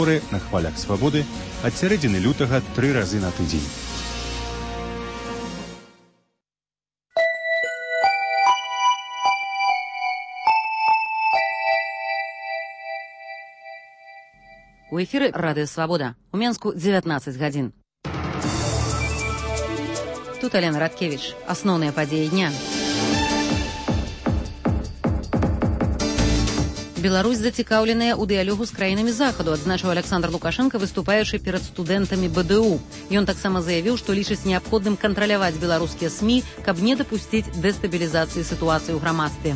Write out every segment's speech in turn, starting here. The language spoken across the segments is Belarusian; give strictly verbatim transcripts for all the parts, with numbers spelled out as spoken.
эфоры на хвалях свабоды ад сярэдзіны лютага тры разы на тыдзень. У эфіры радыё Свабода. У Менску дзевятнаццаць гадзін. Тут Алена Радкевіч. Асноўныя падзеі дня. Беларусь зацікаўленая ў дыялогу з краінамі захаду, адзначыў Александр Лукашенко, выступаючы перад студэнтамі бэ дэ у. Ён таксама заявіў, што лічыць неабходным кантраляваць беларускія СМІ, каб не дапусціць дэстабілізацыі сітуацыі ў грамадстве.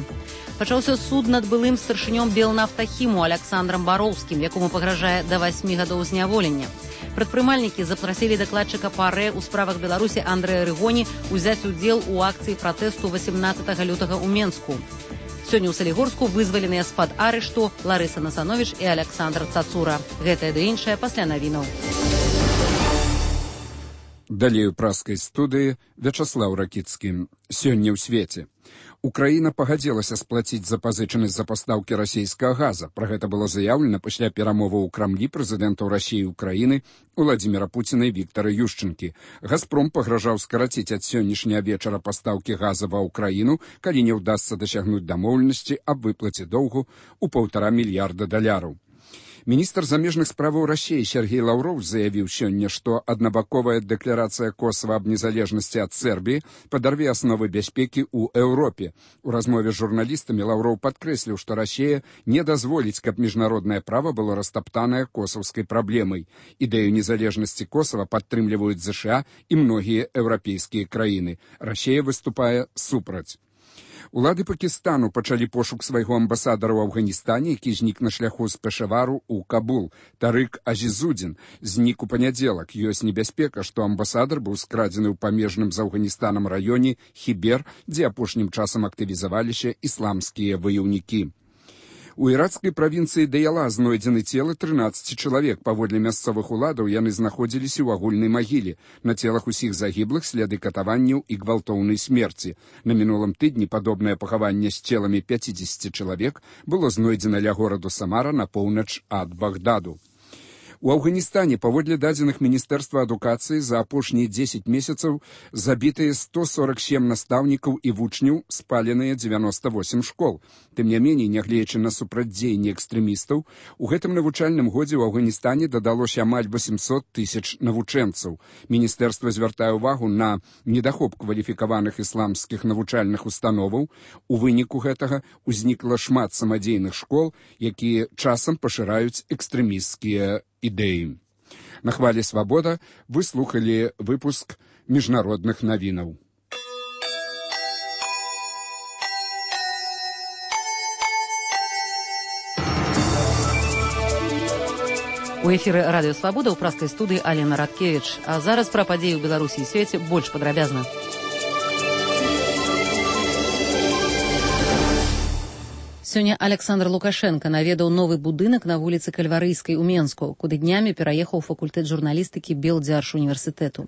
Пачаўся суд над былым старшынём Белнафтахіму Александрам Бароўскім, якому пагражае да васьмі гадоў зняволення. Прадпрымальнікі запрасілі дакладчыка ПАРЭ ў справах Беларусі Андрэя Рыгоні ўзяць удзел у акцыі пратэсту васемнаццатага лютага ў Менску. Сёння ў Салігорску вызваленыя з-пад арышту Ларыса Насановіч і Александр Цацура. Гэтае ды іншае пасля навінаў. Далей у праскай студыі Вячаслаў Ракіцкі. Сёння ў свеце. Украіна пагадзілася сплаціць запазычанасць за пастаўкі расійскага газа. Пра гэта было заяўлена пасля перамоваў у Крамлі прэзідэнтаў Расіі і Украіны Уладзіміра Пуціна і Віктара Юшчэнкі. Газпром пагражаў скараціць ад сённяшняга вечара пастаўкі газа ва ўкраіну, калі не ўдасца дасягнуць дамоўленасці аб выплаце доўгу ў паўтара мільярда даляраў. Міністр замежных справаў Расіі Сергей Лаўроў заявіў сёння, што аднабаковая дэкларацыя Косава аб незалежнасці ад Сербіі падарве асновы бяспекі ў Еўропе. У размове з журналістамі Лаўроў падкрэсліў, што Расія не дазволіць, каб міжнароднае права было растаптанае косаўскай праблемай. Ідэю незалежнасці Косава падтрымліваюць ЗША і многія еўрапейскія краіны. Расія выступае супраць. Улады Пакістану пачалі пошук свайго амбасадара ў Афганістане, які знік на шляху з Пешавару ў Кабул. Тарык Азізудзін знік у панядзелак. Ёсць небяспека, што амбасадар быў скрадзены ў памежным з Афганістанам раёне Хібер, дзе апошнім часам актывізаваліся ісламскія ваяўнікі. У іракскай правінцыі Даяла знойдзены целы трынаццаці чалавек. Паводле мясцовых уладаў яны знаходзіліся ў агульнай магіле. На целах усіх загіблых следы катаванняў і гвалтоўнай смерці. На мінулым тыдні падобнае пахаванне з целамі пяцідзесяці чалавек было знойдзена ля гораду Самара на поўнач ад Багдаду. У Афганістане, паводле дадзеных Міністэрства адукацыі, за апошнія дзесяць месяцаў забітыя сто сорок сем настаўнікаў і вучняў, спаленыя дзевяноста восем школ. Тым не меней, нягледзячы на супрацьдзеянне экстрэмістаў, у гэтым навучальным годзе ў Афганістане дадалося амаль восемьсот тысяч навучэнцаў. Міністэрства звяртае ўвагу на недахоп кваліфікаваных ісламскіх навучальных установаў. У выніку гэтага ўзнікла шмат самадзейных школ, якія часам пашыраюць экстрэмісцкія ідэі. На хвалі Свабода вы слухалі выпуск міжнародных навінаў. У эфіры радыё Свабода ў праскай студыі Алена Радкевіч. А зараз пра падзеі ў Беларусі і свеце больш падрабязна. Сёння Александр Лукашенко наведаў новы будынак на вуліцы Кальварыйскай у Менску, куды днямі пераехаў факультэт журналістыкі Белдзяржуніверсітэту.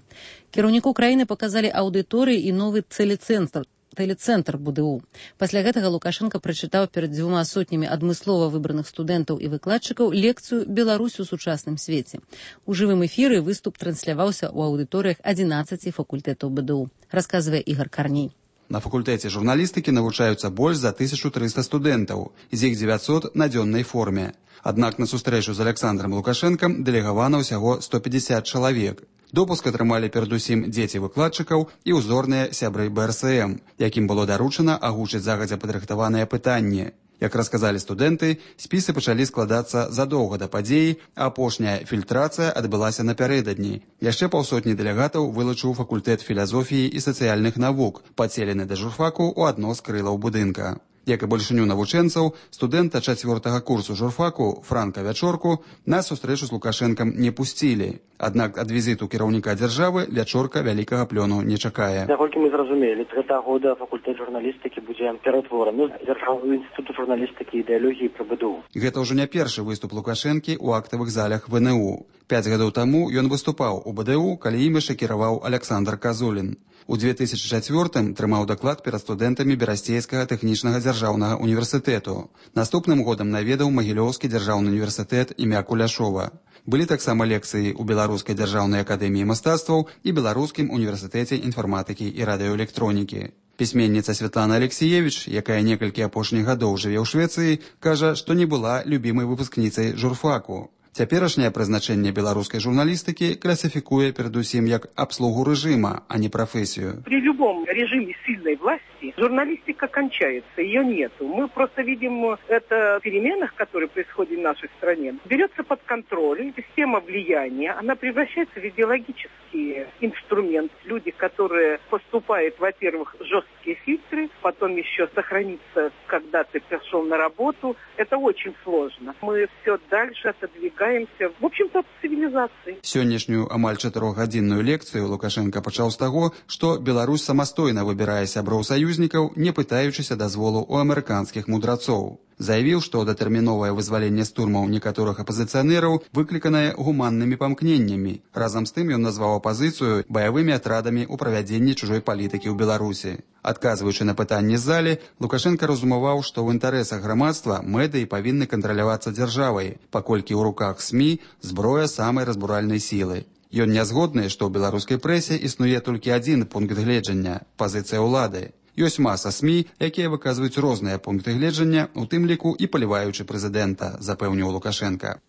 Кіраўніку краіны паказалі аўдыторыі і новы тэлецэнтр, тэлецэнтр бэ дэ у. Пасля гэтага Лукашенко прачытаў перад дзвюма сотнямі адмыслова выбраных студэнтаў і выкладчыкаў лекцыю «Беларусь у сучасным свеце». У жывым эфіры выступ трансляваўся ў аўдыторыях адзінаццаці факультэтаў бэ дэ у, расказвае Ігар Карней. На факультэце журналістыкі навучаюцца больш за тысячу трыста студэнтаў, з іх дзевяцьсот на дзённай форме. Аднак на сустрэчу з Александром Лукашэнкам дэлегавана ўсяго сто пятьдесят чалавек. Допуск атрымалі перадусім дзеці выкладчыкаў і ўзорныя сябры бэ эр эс эм, якім было даручана агучыць загадзя падрыхтаваныя пытанні. Як расказалі студэнты, спісы пачалі складацца задоўга да падзеі, а апошняя фільтрацыя адбылася напярэдадні. Яшчэ паўсотні дэлегатаў вылучыў факультэт філазофіі і сацыяльных навук, падселены да журфаку ў адно з крылаў будынка. Як і большыню навучэнцаў, студэнта чацвёртага курсу журфаку Франка Вячорку на сустрэчу з Лукашэнкам не пусцілі. Аднак ад візіту кіраўніка дзяржавы Вячорка вялікага плёну не чакае. Наколькі мы зразумелі, з гэтага года факультэт журналістыкі будзе ператвораны з дзяржаўнага інстытуту журналістыкі і ідэалогіі пры бэ дэ у. Гэта ўжо не першы выступ Лукашэнкі ў актавых залях вэ эн у. Пяць гадоў таму ён выступаў у БДУ, калі ім яшчэ кіраваў Александр Казулін. У две тысячы чацвёртым трымаў даклад перад студэнтамі Берасцейскага тэхнічнага дзяржаўнага універсітэту. Наступным годам наведаў Магілёўскі дзяржаўны універсітэт імя Куляшова. Былі таксама лекцыі ў Беларускай дзяржаўнай акадэміі мастацтваў і Беларускім універсітэце інфарматыкі і радыёэлектронікі. Пісьменніца Святлана Алексіевіч, якая некалькі апошніх гадоў жыве ў Швецыі, кажа, што не была любімай выпускніцай журфаку. Цяперашняе прызначэнне беларускай журналістыкі класіфікуе перадусім як абслугу рэжыма, а не прафесію. При любом режиме сильной власти журналистика кончается, ее нету. Мы просто видим это в переменах, которые происходят в нашей стране. Берется под контроль система влияния, она превращается в идеологический инструмент. Люди, которые поступают, во-первых, жесткие фильтры, потом еще сохраниться, когда ты пришел на работу, это очень сложно. Мы все дальше отодвигаемся, в общем-то, от цивилизации. Сённяшнюю амаль чатырохгадзінную лекцыю Лукашенко пачаў з таго, што Беларусь самастойна выбірае сяброў саюзнікаў, не пытаючыся дазволу ў амерыканскіх мудрацоў. Заявіў, што датэрміновае вызваленне з турмаў некаторых апазіцыянераў выкліканае гуманнымі памкненнямі. Разам з тым ён назваў апазіцыю баявымі атрадамі ў правядзенні чужой палітыкі ў Беларусі. Адказваючы на пытанні з залі, Лукашенко разумаваў, што ў інтарэсах грамадства медыі павінны кантралявацца дзяржавай, паколькі ў руках СМІ зброя самай разбуральнай сілы. Ён не згодны, што ў беларускай прэсе існуе толькі адзін пункт гледжання – пазіцыя ўлады. Ёсць маса СМІ, якія выказваюць розныя пункты гледжання, у тым ліку і паліваючы прэзідэнта, запэўніў Лукашенка.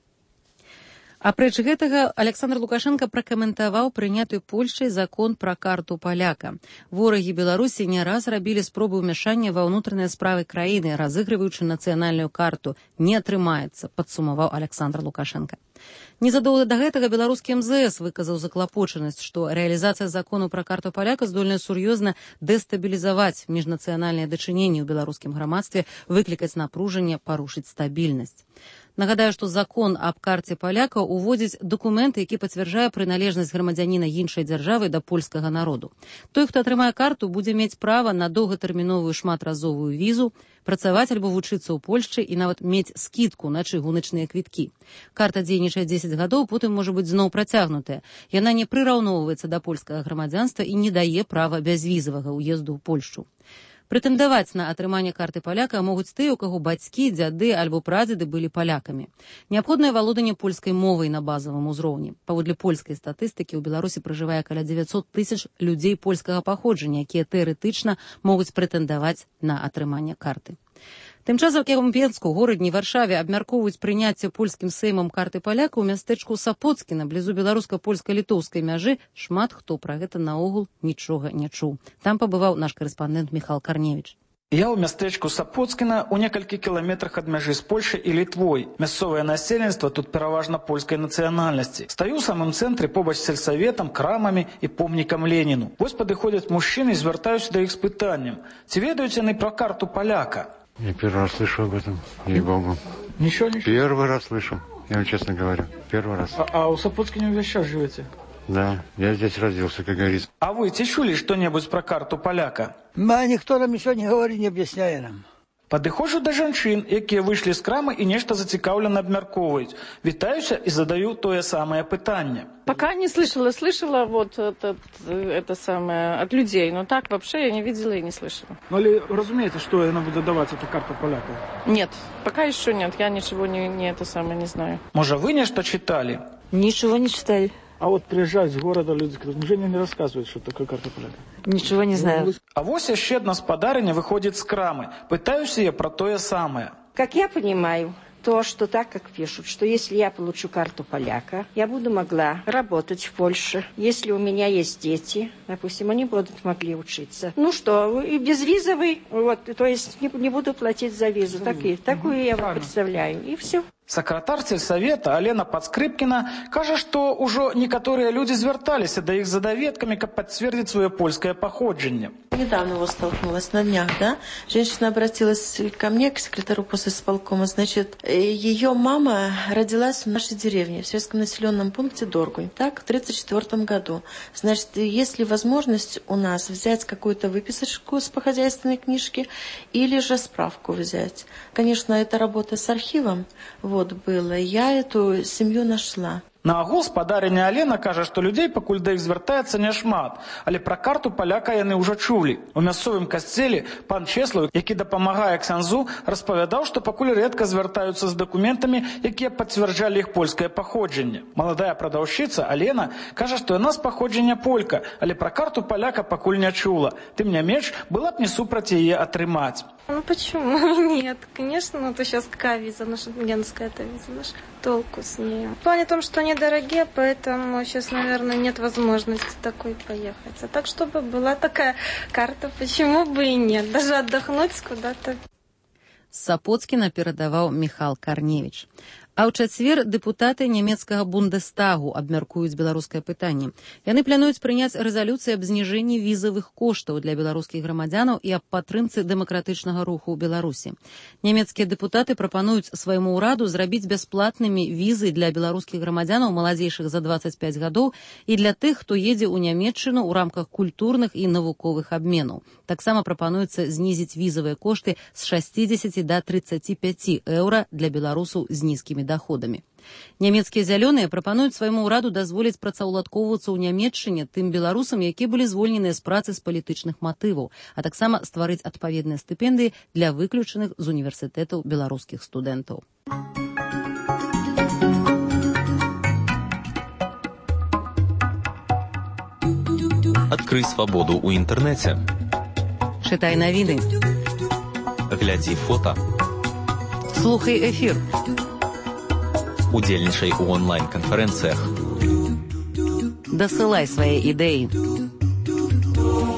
Апроч гэтага, Александр Лукашенко пракаментаваў прыняты Польшчай закон пра карту паляка. Ворагі Беларусі не раз рабілі спробы ўмяшання ва ўнутраныя справы краіны, разыгрываючы нацыянальную карту. Не атрымаецца, падсумаваў Александр Лукашенко. Незадоўга да гэтага беларускі эм зэ эс выказаў заклапочанасць, што рэалізацыя закону пра карту паляка здольная сур'ёзна дэстабілізаваць міжнацыянальныя дачыненні ў беларускім грамадстве, выклікаць напружанне, парушыць стабільнасць. Нагадаю, што закон аб карце паляка уводзіць дакумент, які пацвярджае прыналежнасць грамадзяніна іншай дзяржавы да польскага народу. Той, хто атрымае карту, будзе мець права на доўгатэрміновую шматразовую візу, працаваць альбо вучыцца ў Польшчы і нават мець скідку на чыгуначныя квіткі. Карта дзейнічае дзесяць гадоў, потым можа быць зноў працягнутая. Яна не прыраўноўваецца да польскага грамадзянства і не дае права бязвізавага ўезду ў Польшчу. Прэтэндаваць на атрыманне карты паляка могуць тыя, у каго бацькі, дзяды альбо прадзеды былі палякамі. Неабходнае валоданне польскай мовай на базавым узроўні. Паводле польскай статыстыкі ў Беларусі пражывае каля дзевяцьсот тысяч людзей польскага паходжання, якія тэарэтычна могуць прэтэндаваць на атрыманне карты. Тым часам у Пенску, горадні Варшаве абмяркоўваюць прыняцце польскім сеймам карты паляка ў мястэчку Сапоцкіна, блізу беларуска-польска-літоўскай мяжы. Шмат хто пра гэта наогул нічога не чуў. Там пабываў наш карэспандэнт Міхал Карневіч. Я ў мястэчку Сапоцкіна у некалькі кіламетрах ад мяжы з Польшай і Літвой. Мясцовае насельніцтва тут пераважна польскай нацыянальнасці. Стаю ў самым цэнтры побач з сельсаветам, крамамі і помнікам Леніну. Вось падыходзяць мужчыны і звяртаюся да іх з пытаннем: ці ведаюць яны пра карту паляка? Я первый раз слышу об этом, ей-богу. Ничего, ничего? Первый раз слышу, я вам честно говорю, первый раз. А, а у Сапоцкине вы сейчас живете? Да, я здесь родился, как говорится. А вы чули что-нибудь про карту поляка? Да, никто нам ничего не говорит, не объясняет нам. Падыходжу да жанчын, якія выйшлі з крамы і нешта зацікаўлена абмяркоўваюць. Вітаюся і задаю тое самае пытанне. Пока не слышала, слышала вот это, это самое от людей, но так вообще я не видела и не слышала. Ну, или разумеете, что она будет давать, эта карта поляка? Нет, пока еще нет, я ничего не, не это самое не знаю. Может, вы нечто читали? Ничего не читали. А вот приезжают с города люди, Женя не рассказывает, что такое карта поляка. Ничего не знаю. А вось яшчэ адна спадарыня выходит з крамы. Пытаюся я про то самое. Как я понимаю, то, что так, как пишут, что если я получу карту поляка, я буду могла работать в Польше. Если у меня есть дети, допустим, они будут могли учиться. Ну что, и безвизовый, вот, то есть не, не буду платить за визу. Так, и, такую я вам представляю, и все. Сакратар сельсавета Алена Пацкрыпкіна кажа, што ўжо некаторыя людзі звярталіся да іх за даведкамі, каб пацвердзіць сваё польскае паходжанне. Недавно его столкнулась на днях, да? Женщина обратилась ко мне, к секретарю посисполкома. Значит, ее мама родилась в нашей деревне, в сельском населенном пункте Доргунь, так, в тридцать четвёртом году. Значит, есть ли возможность у нас взять какую-то выписочку с похозяйственной книжки или же справку взять? Конечно, это работа с архивом. вот было, я эту семью нашла. На агул спадарыня Алена кажа, што людзей пакуль да іх звяртаецца няшмат, але пра карту паляка яны ўжо чулі. У мясцовым касцеле пан Чеслаў, які дапамагае ксяндзу, распавядаў, што пакуль рэдка звяртаюцца з дакументамі, якія пацвярджалі іх польскае паходжанне. Маладая прадаўшчыца Алена кажа, што яна з паходжання полька, але пра карту паляка пакуль не чула. Тым не менш, была б не супраць яе атрымаць. Ну почему? Нет, конечно, ну это сейчас какая виза, наша генская эта виза, наша толку с ней. В плане том, что они дорогие, поэтому сейчас, наверное, нет возможности такой поехать. А так, чтобы была такая карта, почему бы и нет, даже отдохнуть куда-то. З Сапоцкіна перадаваў Міхал Карневіч. А ў чацвер дэпутаты нямецкага Бундестагу абмяркуюць беларускае пытанне. Яны плануюць прыняць рэзалюцыю аб зніжэнні візавых коштаў для беларускіх грамадзянаў і аб падтрымцы дэмакратычнага руху ў Беларусі. Нямецкія дэпутаты прапануюць свайму ўраду зрабіць бясплатнымі візы для беларускіх грамадзянаў маладзейшых за дваццаць пяць гадоў і для тых, хто едзе ў Нямецчыну ў рамках культурных і навуковых абменаў. Таксама прапануецца знізіць візавыя кошты з шасцідзесяці да трыццаці пяці еўра для беларусаў з нізкімі доходамі. Нямецкія зялёныя прапануюць свайму ўраду дазволіць працаўладкоўвацца ў Нямецчыне тым беларусам, якія былі звольненыя з працы з палітычных матываў, а таксама стварыць адпаведныя стыпендыі для выключаных з універсітэтаў беларускіх студэнтаў. Адкрый свабоду ў інтэрнэце. Чытай навіны. Глядзі фота. Слухай эфір. Удзельнічай у онлайн-канферэнцыях. Дасылай свае ідэі.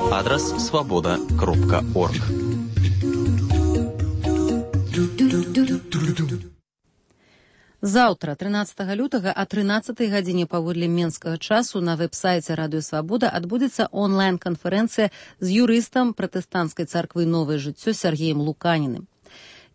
Адрас свабода кропка орг. Заўтра, трынаццатага лютага, а трынаццатай гадзіне паводле менскага часу на вэб-сайце Радыё Свабода адбудзецца онлайн-канферэнцыя з юрыстам пратэстанцкай царквы «Новае жыццё» Сергеем Луканіным.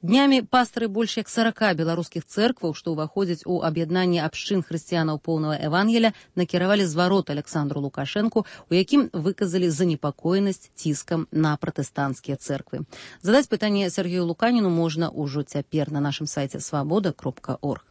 Днямі пастары больш як сарака беларускіх цэркваў, што ўваходзяць у аб'яднанне абшчын хрысціянаў поўнага Евангелія, накіравалі зварот Александру Лукашэнку, у якім выказалі занепакоенасць ціскам на пратэстанцкія цэрквы. Задаць пытанне Сергею Луканіну можна ўжо цяпер на нашым сайце свабода кропка орг.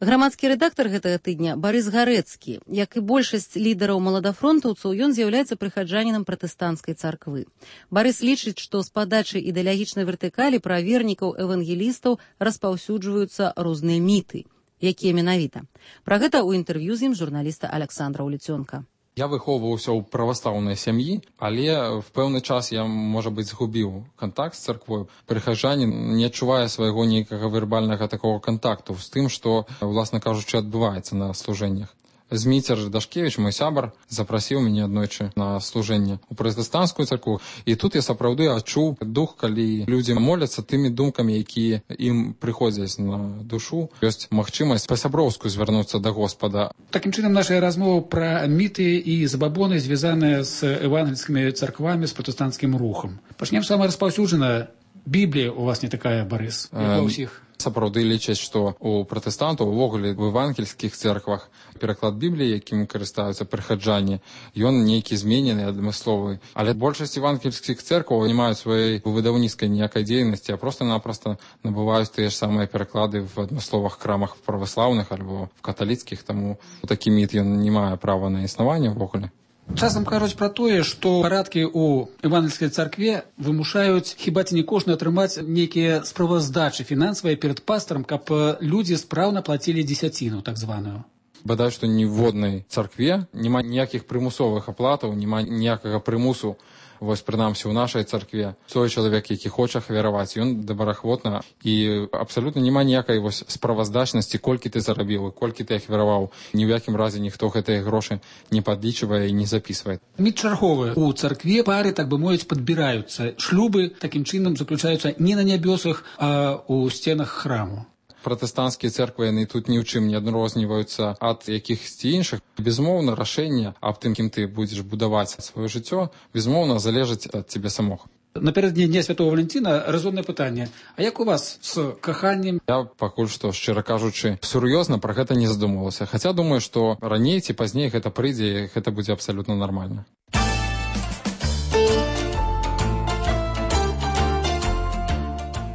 Грамадскі рэдактар гэтага тыдня Барыс Гарэцкі, як і большасць лідараў маладафронтаўцаў, ён з'яўляецца прыхаджанінам пратэстанцкай царквы. Барыс лічыць, што з падачы ідэалагічнай вертыкалі пра вернікаў евангелістаў распаўсюджваюцца розныя міты. Якія менавіта? Пра гэта ў інтэрв'ю з ім журналіста Александра Уліцёнка. Я выхоўваўся ў праваслаўнай сям'і, але в пэўны час я, можа быць, згубіў кантакт з царквою. Прыхаджанін не адчувае свайго нейкага вербальнага такого кантакту з тым, што, уласна кажучы, адбываецца на служэннях. Зміцер Дашкевіч, мой сябар, запрасіў мяне аднойчы на служэнне ў пратэстанцкую царкву, і тут я сапраўды адчуў дух, калі людзі моляцца тымі думкамі, якія ім прыходзяць на душу. Ёсць магчымасць па-сяброўску звярнуцца да Господа. Такім чынам, наша размова пра міты і забабоны, звязаныя з евангельскімі царквамі, з пратэстанцкім рухам. Пачнем самае распаўсюджанае. Біблія у вас не такая, Барыс, як у ўсіх. Сапраўды лічаць, што у пратэстантаў, увогуле в евангельскіх церквах пераклад Бібліі, якім карыстаюцца прыхаджане, ён нейкі зменены, адмысловы. Але большасць евангельскіх церкваў не маюць сваёй выдаўніцкай ніякай дзейнасці, а проста-напроста набываюць тыя ж самыя пераклады в адмысловых крамах праваслаўных альбо в каталіцкіх, таму такі міт ён не мае права на існаванне ўвогуле. Часам кажуць пра тое, што парадкі ў евангельскай царкве вымушаюць хіба ці не кожны атрымаць нейкія справаздачы фінансавыя перад пастарам, каб людзі спраўна плацілі дзесяціну, так званую. Бадай, што ніводнай царкве няма ніякіх прымусовых аплатаў, няма ніякага прымусу. Вось, прынамсі, у нашай царкве той чалавек, які хоча ахвяраваць, ён добраахвотна, і абсалютна няма ніякай вось справаздачнасці, колькі ты зарабіў і колькі ты ахвяраваў. Ні ў якім разе ніхто гэтыя грошы не падлічвае і не запісвае. Міт чарговы. У царкве пары, так бы мовіць, падбіраюцца. Шлюбы такім чынам заключаюцца не на нябёсах, а ў сценах храму. Пратэстанцкія церквы, яны тут ні ў чым не адрозніваюцца ад якіхсьці іншых. Безумоўна, рашэнне аб тым, кім ты будзеш будаваць сваё жыццё, безумоўна, залежыць ад цябе самога. Напярэдадні Дня Святого Валентина разумнае пытанне. А як у вас з каханнем? Я пакуль што, шчыра кажучы, сур'ёзна пра гэта не задумвалася. Хаця думаю, што раней ці пазней гэта прыйдзе, і гэта будзе абсалютна нармальна.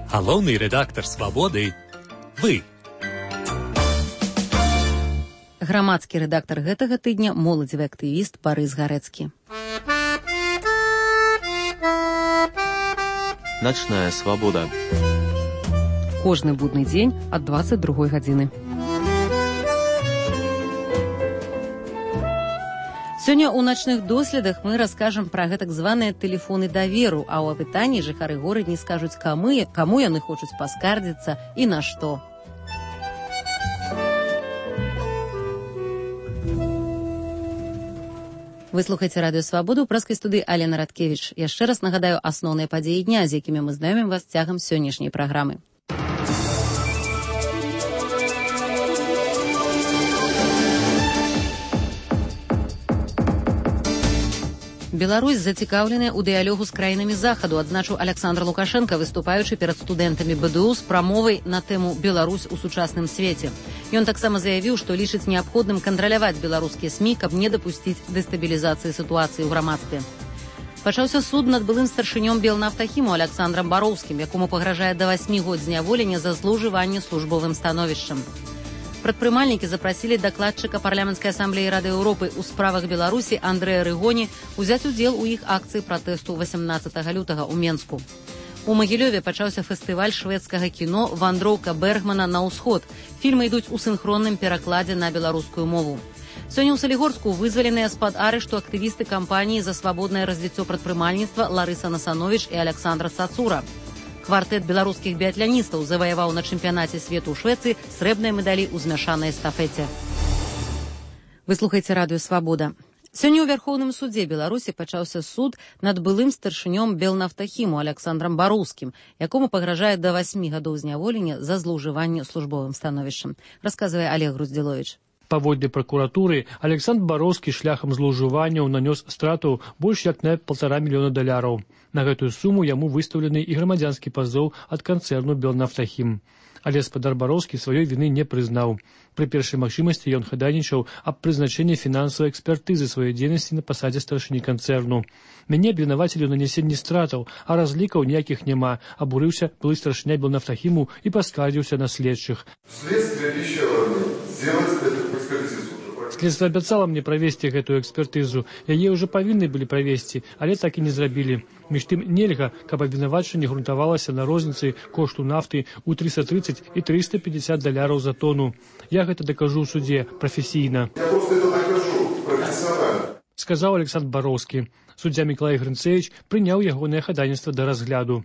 Галоўны рэдактар «Свабоды» — вы. Грамадскі рэдактар гэтага тыдня, моладзевы актывіст Барыс Гарэцкі. Начная свабода. Кожны будны дзень ад дваццаць другой гадзіны. Сёння ў начных доследах мы раскажам пра гэтак званыя тэлефоны даверу, а ў апытанні жыхары горада не скажуць, каму, каму яны хочуць паскардзіцца і на што. Вы слухаеце радыё Свабоду, ў праскай студыі Алена Радкевіч. Яшчэ раз нагадаю асноўныя падзеі дня, з якімі мы знаёмім вас цягам сённяшняй праграмы. Беларусь зацікаўленая ў дыялогу з краінамі захаду, адзначыў Александр Лукашенко, выступаючы перад студэнтамі БДУ з прамовай на тэму «Беларусь у сучасным свеце». Ён таксама заявіў, што лічыць неабходным кантраляваць беларускія СМІ, каб не дапусціць дэстабілізацыі сітуацыі ў грамадстве. Пачаўся суд над былым старшынём Белнафтахіму Александрам Бароўскім, якому пагражае да васьмі год зняволення за злоўжыванне службовым становішчам. Прадпрымальнікі запрасілі дакладчыка парламенцкай асамблеі Рады Еўропы ў справах Беларусі Андрэя Рыгоні узяць удзел у іх акцыі пратэсту васямнаццатага лютага ў Менску. У Магілёве пачаўся фестываль шведскага кіно «Вандроўка Бергмана на ўсход». Фільмы ідуць у сінхронным перакладзе на беларускую мову. Сёння ў Салігорску вызваленыя з-пад арышту актывісты кампаніі за свабоднае развіццё прадпрымальніцтва Ларыса Насановіч і Александра Цацура. Квартэт беларускіх біятляністаў заваяваў на чэмпіянаце свету ў Швецыі срэбныя медалі ў змяшанай эстафеце. Вы слухаеце радыё Свабода. Сёння ў Вярхоўным судзе Беларусі пачаўся суд над былым старшынём Белнафтахіму Александрам Бароўскім, якому пагражае да васьмі гадоў зняволення за злоўжыванне службовым становішчам, расказвае Олег Груздзіловіч. Паводле пракуратуры, Александр Бароўскі шляхам злоўжыванняў нанёс страту больш як на паўтара мільёна даляраў. На гэтую суму яму выстаўлены і грамадзянскі пазоў ад канцэрну «Белнафтахім». Але спадар Бароўскі сваёй віны не прызнаў. Пры першай магчымасці ён хадайнічаў аб прызначэнні фінансавай экспертызы сваёй дзейнасці на пасадзе старшыні канцэрну. Мяне абвінавацілі ў нанесенні стратаў, а разлікаў ніякіх няма, абурыўся былы старшыня Белнафтахіму і паскардзіўся на следчых. Следствие обещало сделать эту экспертизу. Следства абяцала мне правесці гэтую экспертызу. Яе ўжо павінны былі правесці, але так і не зрабілі. Між тым нельга, каб абвінавачанне грунтавалася на розніцы кошту нафты ў трыста трыццаць і трыста пятьдесят даляраў за тону. Я гэта дакажу ў судзе прафесійна. Я просто это докажу профессионально. Сказаў Александр Бароўскі. Суддзя Мікалай Грынцэвіч прыняў ягонае хадайніцтва да разгляду.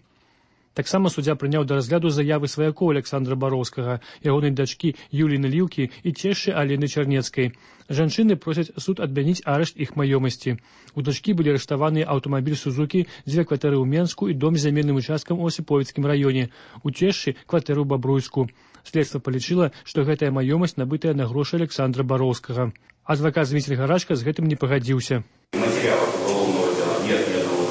Таксама суддзя прыняў да разгляду заявы сваякоў Александра Бароўскага, ягонай дачкі Юліны Ліўкі і цешчы Алены Чарнецкай. Жанчыны просяць суд адмяніць арышт іх маёмасці. У дачкі былі арыштаваныя аўтамабіль Сузукі, дзве кватэры ў Менску і дом з зямельным участкам у Осіповіцкім раёне. У цешчы кватэру ў Бабруйску. Следства палічыла, што гэтая маёмасць набытая на грошы Александра Бароўскага. Адвакат Зміцер Гарачка з гэтым не пагадзіўся.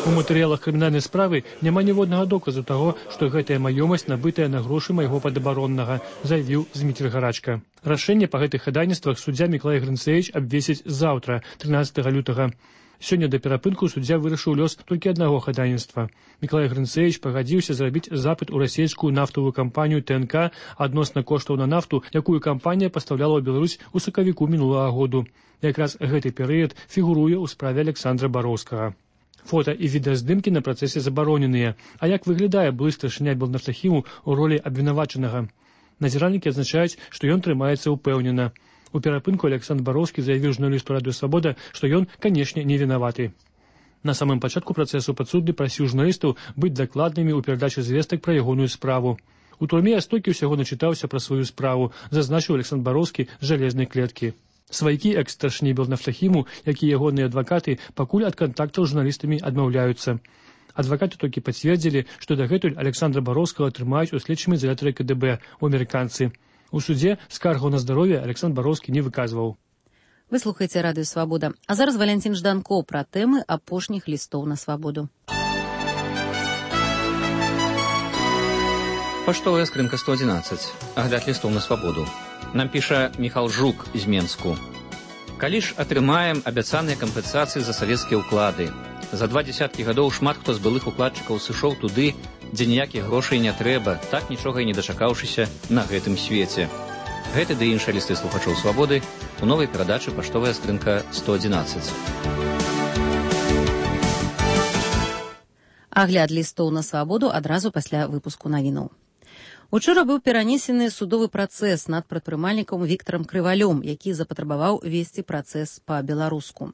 У матэрыялах крымінальнай справы няма ніводнага доказу таго, што гэтая маёмасць набытая на грошы майго падабароннага, заявіў Зміцер Гарачка. Рашэнне па гэтых хадайніцтвах суддзя Мікалай Грынцэвіч абвесіць заўтра, трынаццатага лютага. Сёння да перапынку суддзя вырашыў лёс толькі аднаго хадайніцтва. Мікалай Грынцэвіч пагадзіўся зрабіць запыт у расійскую нафтавую кампанію Тэ Эн Ка адносна коштаў на нафту, якую кампанія пастаўляла ў Беларусь у сакавіку мінулага году. Якраз гэты перыяд фігуруе ў справе Александра Бароўскага. Фота і відэаздымкі на працэсе забароненыя. А як выглядае былы старшыня Белнафтахіму ў ролі абвінавачанага? Назіральнікі адзначаюць, што ён трымаецца ўпэўнена. У перапынку Александр Бароўскі заявіў журналісту радыё Свабода, што ён, канешне, не вінаваты. На самым пачатку працэсу падсудны прасіў журналістаў быць дакладнымі ў перадачы звестак пра ягоную справу. У турме я столькі ўсяго начытаўся пра сваю справу, зазначыў Александр Бароўскі з жалезнай клеткі. Сваякі экс-старшыні Белнафтахіму, як і ягоныя адвакаты, пакуль ад кантактаў з журналістамі адмаўляюцца. Адвакаты толькі пацвердзілі, што дагэтуль Александра Бароўскага трымаюць у следчым ізалятары Ка Дэ Бэ ў амерыканцы. У судзе скаргаў на здароўе Александр Бароўскі не выказваў. Вы слухаеце радыё Свабода. А зараз Валянцін Жданко пра тэмы апошніх лістоў на свабоду. Паштовая скрынка сто адзінаццаць. Агляд лістоў на свабоду. Нам піша Міхал Жук з Менску. Калі ж атрымаем абяцаныя кампенсацыі за савецкія ўклады? За два дзесяткі гадоў шмат хто з былых укладчыкаў сышоў туды, дзе ніякіх грошай не трэба, так нічога і не дачакаўшыся на гэтым свеце. Гэты ды іншыя лісты слухачоў свабоды у новай перадачы «Паштовая скрынка сто адзінаццаць». Агляд лістоў на свабоду адразу пасля выпуску навінаў. Учора быў перанесены судовы працэс над прадпрымальнікам Віктарам Крывалём, які запатрабаваў весці працэс па-беларуску.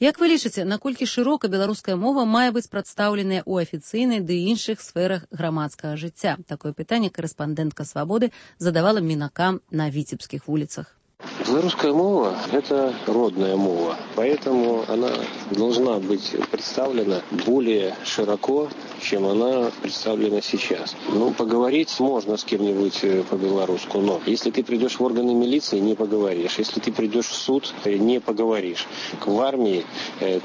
Як вы лічыце, наколькі шырока беларуская мова мае быць прадстаўленая ў афіцыйнай ды іншых сферах грамадскага жыцця? Такое пытанне корэспандэнтка «Свабоды» задавала мінакам на віцебскіх вуліцах. Белорусская мова – это родная мова, поэтому она должна быть представлена более широко, чем она представлена сейчас. Ну, поговорить можно с кем-нибудь по-белорусски, но если ты придешь в органы милиции, не поговоришь. Если ты придешь в суд, не поговоришь. В армии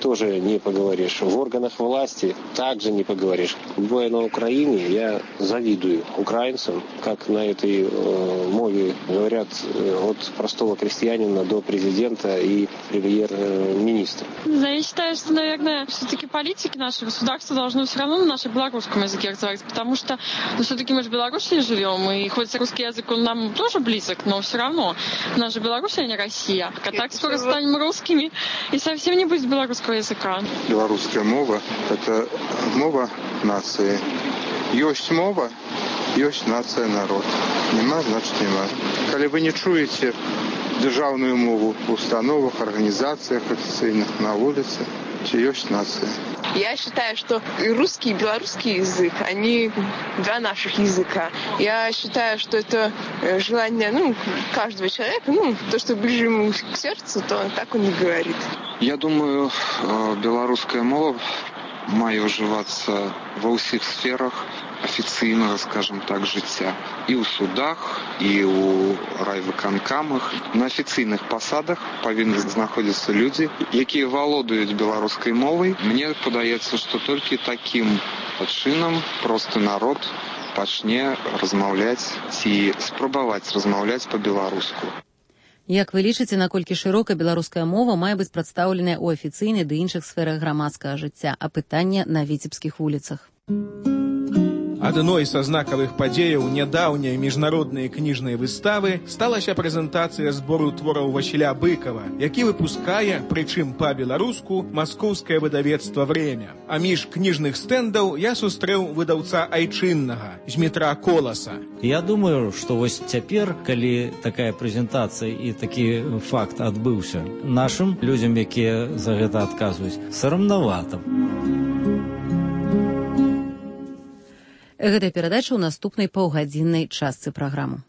тоже не поговоришь. В органах власти также не поговоришь. Бывая на Украине, я завидую украинцам, как на этой э, мове говорят э, от простого крестьянина до президента и премьер-министра. Да, я считаю, что, наверное, все-таки политики нашего государства должны все равно на нашем белорусском языке разговаривать, потому что, ну, все-таки мы же в Беларуси живем, и хоть русский язык, он нам тоже близок, но все равно у нас же Беларусь, а не Россия. А так скоро станем русскими, и совсем не будет белорусского языка. Белорусская мова – это мова нации. Есть мова, есть нация, народ. Нема, значит нема. Коли вы не чуете державную мову в установах, организациях официальных, на улице, то есть нация. Я считаю, что и русский, и белорусский язык, они два наших языка. Я считаю, что это желание, ну, каждого человека, ну, то, что ближе ему к сердцу, то он так он и говорит. Я думаю, белорусская мова мае ўжывацца ва ўсіх сферах афіцыйнага, скажем так, жыцця. І ў судах, і ў райвыканкамах. На афіцыйных пасадах павінны знаходзіцца людзі, якія валодаюць беларускай мовай. Мне падаецца, што толькі такім чынам просты народ пачне размаўляць ці спрабаваць размаўляць па-беларуску. Як вы лічыце, наколькі шырока беларуская мова мае быць прадстаўленая ў афіцыйнай ды іншых сферах грамадскага жыцця? А пытанне на віцебскіх вуліцах. Адной са знакавых падзеяў нядаўняй міжнароднай кніжнай выставы сталася прэзентацыя збору твораў Васіля Быкова, які выпускае, прычым па-беларуску, маскоўскае выдавецтва «Время». А між кніжных стэндаў я сустрэў выдаўца айчыннага, Змітра Коласа. Я думаю, што вось цяпер, калі такая прэзентацыя і такі факт адбыўся, нашым людзям, якія за гэта адказваюць, сарамнавата. Гэта перадача ў наступнай паўгадзіннай частцы праграмы.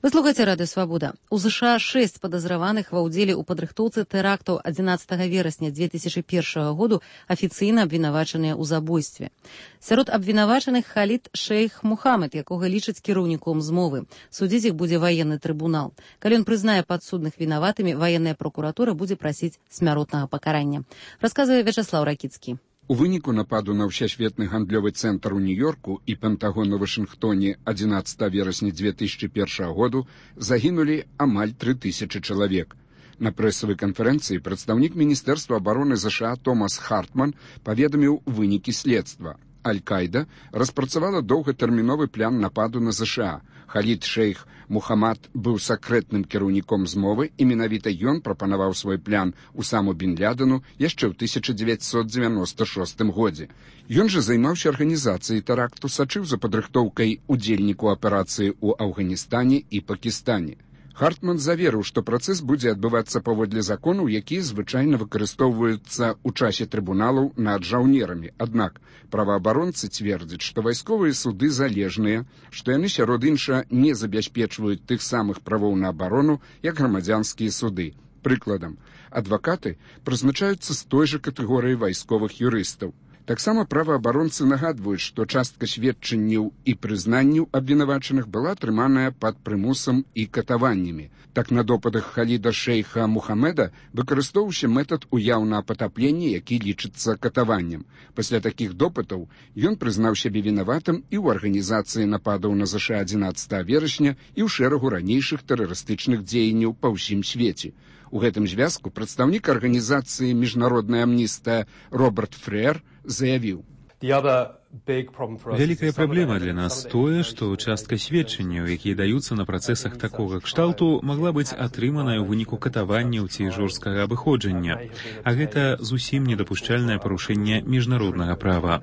Вы слухаеце радыё «Свабода». У ЗША шэсць падазраваных ва ўдзеле ў падрыхтоўцы тэрактаў адзінаццатага верасня дзве тысячы першага году афіцыйна абвінавачаныя ў забойстве. Сярод абвінавачаных Халід Шейх Мухаммед, якога лічаць кіраўніком змовы. Судзіць іх будзе ваенны трыбунал. Калі ён прызнае падсудных вінаватымі, ваенная пракуратура будзе прасіць смяротнага пакарання. Расказвае Вячаслаў Ракіцкі. У выніку нападу на ўсесветны гандлёвы цэнтр у Нью-Йорку і Пентагон у Вашынгтоне адзінаццатага верасня дзве тысячы першага году загінулі амаль тры тысячы чалавек. На прэсавай канферэнцыі прадстаўнік Міністэрства абароны ЗША Томас Хартман паведаміў вынікі следства. Аль-Кайда распрацавала доўгатэрміновы план нападу на ЗША. Халід Шейх Мухаммад быў сакрэтным кіраўніком змовы, і менавіта ён прапанаваў свой план Усаму бін Лядену яшчэ ў тысяча дзевяцьсот дзевяноста шостым годзе. Ён жа займаўся арганізацыяй тэракту, сачыў за падрыхтоўкай удзельніку аперацыі ў Афганістане і Пакістане. Хартман заверыў, што працэс будзе адбывацца паводле законаў, якія звычайна выкарыстоўваюцца ў часе трыбуналаў над жаўнерамі. Аднак праваабаронцы цвердзяць, што вайсковыя суды залежныя, што яны сярод інша не забяспечваюць тых самых правоў на абарону, як грамадзянскія суды. Прыкладам, адвакаты прызначаюцца з той жа катэгорыі вайсковых юрыстаў. Таксама праваабаронцы нагадваюць, што частка сведчанняў і прызнанняў абвінавачаных была атрыманая пад прымусам і катаваннямі. Так на допытах Халіда Шейха Мухаммеда выкарыстоўваўся метад уяўнага патаплення, які лічыцца катаваннем. Пасля такіх допытаў ён прызнаў сябе вінаватым і ў арганізацыі нападаў на ЗША адзінаццатага верасня і ў шэрагу ранейшых тэрарыстычных дзеянняў па ўсім свеце. У гэтым звязку прадстаўнік арганізацыі «Міжнародная амністыя» Роберт Фрэр заявіў. The other Вялікая праблема для нас тое, што частка сведчанняў, якія даюцца на працэсах такога кшталту, магла быць атрыманая ў выніку катаванняў ці жорсткага абыходжання. А гэта зусім недапушчальнае парушэнне міжнароднага права.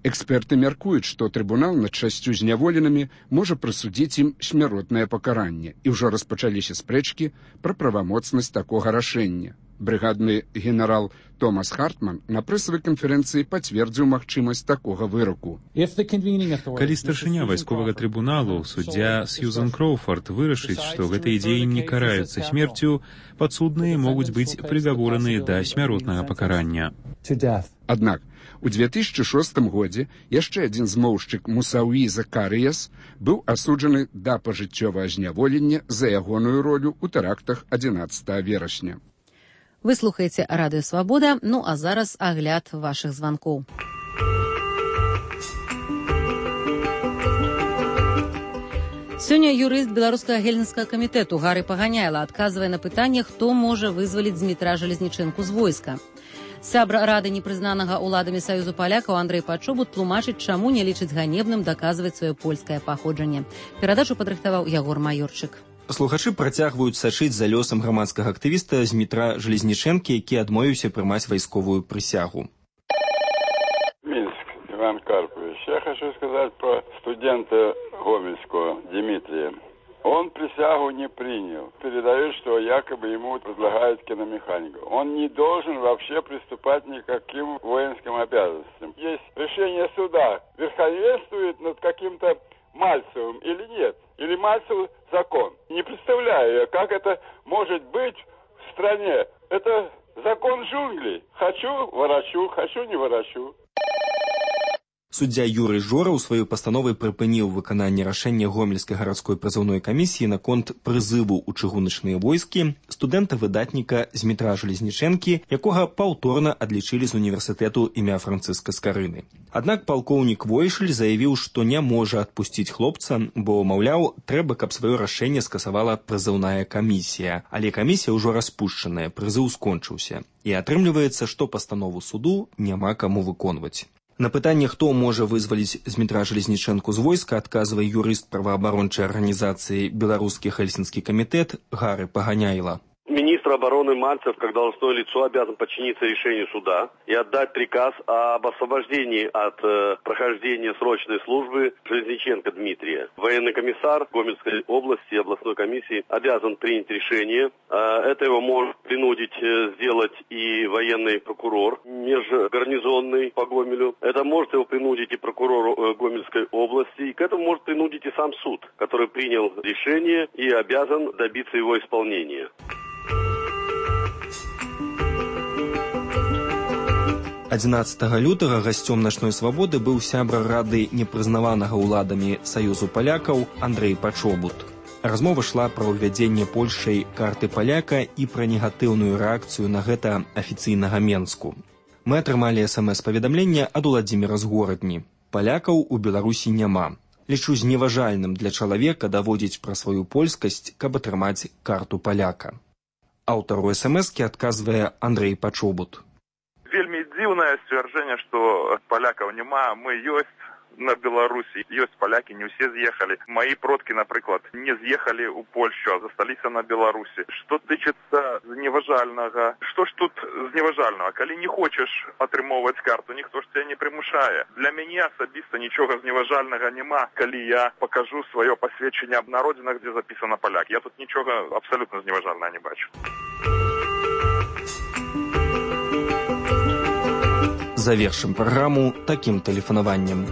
Эксперты мяркуюць, што трыбунал над шасцю зняволенымі можа прысудзіць ім смяротнае пакаранне, і ўжо распачаліся спрэчкі пра правамоцнасць такога рашэння. Брыгадны генерал Томас Хартман на прэсавай канферэнцыі пацвердзіў магчымасць такога выраку. Калі старшыня вайсковага трыбуналу, суддзя Сьюзан Кроуфорд, вырашыць, што гэтыя дзеянні караюцца смерцю, падсудныя могуць быць прыгавораны да смяротнага пакарання. Аднак, у две тысячи шостым годзе яшчэ адзін змоўшчык Мусауі Закарыяс быў асуджаны да пажыццёвага зняволення за ягоную ролю ў тэрактах адзінаццатага верасня. Вы слухаеце Радыё Свабода, ну а зараз агляд вашых званкоў. Сёння юрыст беларускага гельсінскага камітэту Гары Паганяйла адказвае на пытанне, хто можа вызваліць Змітра Жалезнічэнку з войска. Сябра рады непрызнанага ўладамі Саюзу палякаў Андрэй Пачобут тлумачыць, чаму не лічыць ганебным даказваць сваё польскае паходжанне. Перадачу падрыхтаваў Ягор Маёрчык. Слухачы працягваюць сачыць за лёсам грамадскага актывіста Змітра Жалезнічэнкі, які адмовіўся прымаць вайсковую прысягу. Минск, Иван Карпович. Я хочу сказать про студента Гомельского Дмитрия. Он присягу не принял. Передает, что якобы ему предлагают киномеханику. Он не должен вообще приступать никаким воинским обязанностям. Есть решение суда. Верховенствует над каким-то Мальцевым или нет? Или Мальцев закон? Не представляю, как это может быть в стране. Это закон джунглей. Хочу – ворочу, хочу – не ворочу. Суддзя Юрый Жораў сваёй пастановай прыпыніў выкананне рашэння гомельскай гарадской прызыўной камісіі наконт прызыву ў чыгуначныя войскі студэнта-выдатніка Змітра Жалезнічэнкі, якога паўторна адлічылі з універсітэту імя Францыска Скарыны. Аднак палкоўнік Войшель заявіў, што не можа адпусціць хлопца, бо, маўляў, трэба, каб сваё рашэнне скасавала прызыўная камісія. Але камісія ўжо распушчаная, прызыў скончыўся. І атрымліваецца, што пастанову суду няма каму выконваць. На пытанне, хто можа вызваліць Змітра Жалезнічэнку з войска, адказвае юрыст праваабарончай арганізацыі «Беларускі Хельсінскі камітэт» Гары Паганяйла. Министр обороны Мальцев, как должностное лицо, обязан подчиниться решению суда и отдать приказ об освобождении от э, прохождения срочной службы Железниченко Дмитрия. Военный комиссар Гомельской области и областной комиссии обязан принять решение. Э, это его может принудить э, сделать и военный прокурор межгарнизонный по Гомелю. Это может его принудить и прокурор э, Гомельской области. И к этому может принудить и сам суд, который принял решение и обязан добиться его исполнения. адзінаццатага лютага гасцём начной свабоды быў сябра рады непрызнаванага ўладамі Саюзу палякаў Андрэй Пачобут. Размова шла пра ўвядзенне Польшай карты паляка і пра негатыўную рэакцыю на гэта афіцыйнага Менску. Мы атрымалі эс эм эс-паведамленне ад Уладзіміра з горадні. Палякаў у Беларусі няма. Лічу зневажальным для чалавека даводзіць пра сваю польскасць, каб атрымаць карту паляка. Аўтару эс эм эс-кі адказвае Андрэй Пачобут. Вельмі дзіўнае сцвярджэнне, што палякаў няма, мы ёсць на Беларусі, ёсць палякі, не ўсе з'ехалі. Мои продкі, напрыклад, не з'ехалі ў Польшу, а засталіся на Беларусі. Што тычыцца зневажальнага, што ж тут зневажальнага? Калі не хочаш атрымоўваць карту, ніхто ж цябе не прымушае. Для мяне асабіста нічога зневажальнага няма, калі я пакажу сваё пасведчанне аб народзінах, дзе запісана паляк. Я тут нічога абсалютна зневажальнага не бачу. Завершим программу таким телефонованием.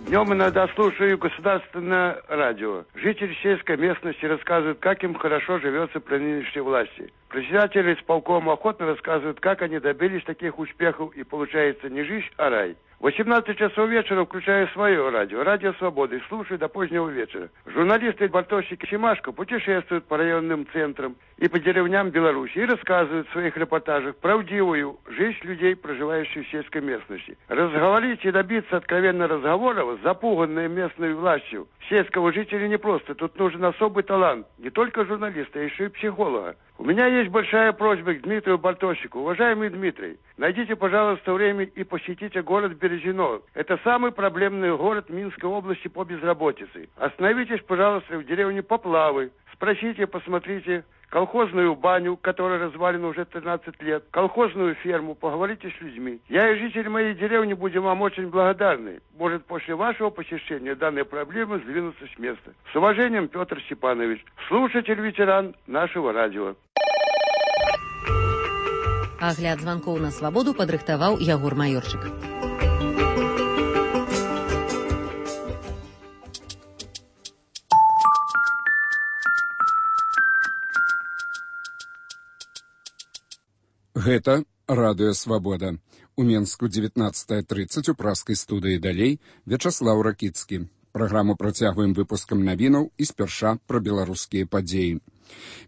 Днем иногда слушаю государственное радио. Жители сельской местности рассказывают, как им хорошо живется при нынешней власти. Председатели исполкома охотно рассказывают, как они добились таких успехов, и получается не жизнь, а рай. В восемнадцать часов вечера включаю свое радио, Радио Свободы, и слушаю до позднего вечера. Журналисты Бартосик и Семашко путешествуют по районным центрам и по деревням Беларуси и рассказывают в своих репортажах правдивую жизнь людей, проживающих в сельской местности. Разговорить и добиться откровенных разговоров с запуганной местной властью сельского жителя непросто. Тут нужен особый талант, не только журналиста, а еще и психолога. У меня есть большая просьба к Дмитрию Бартосику. Уважаемый Дмитрий, Найдите, пожалуйста, время и посетите город Березино. Это самый проблемный город Минской области по безработице. Остановитесь, пожалуйста, в деревне Поплавы. Спросите, посмотрите колхозную баню, которая развалена уже тринадцать лет, колхозную ферму, поговорите с людьми. Я и жители моей деревни будем вам очень благодарны. Может, после вашего посещения данные проблемы сдвинутся с места. С уважением, Петр Степанович, слушатель-ветеран нашего радио. Агляд званкоў на свабоду падрыхтаваў Ягор Маёрчык. Гэта радыё «Свабода». У Менску дзевятнаццатая трыццаць у праскай студыі далей Вячаслаў Ракіцкі. Праграму працягваем выпускам навінаў і спярша пра беларускія падзеі.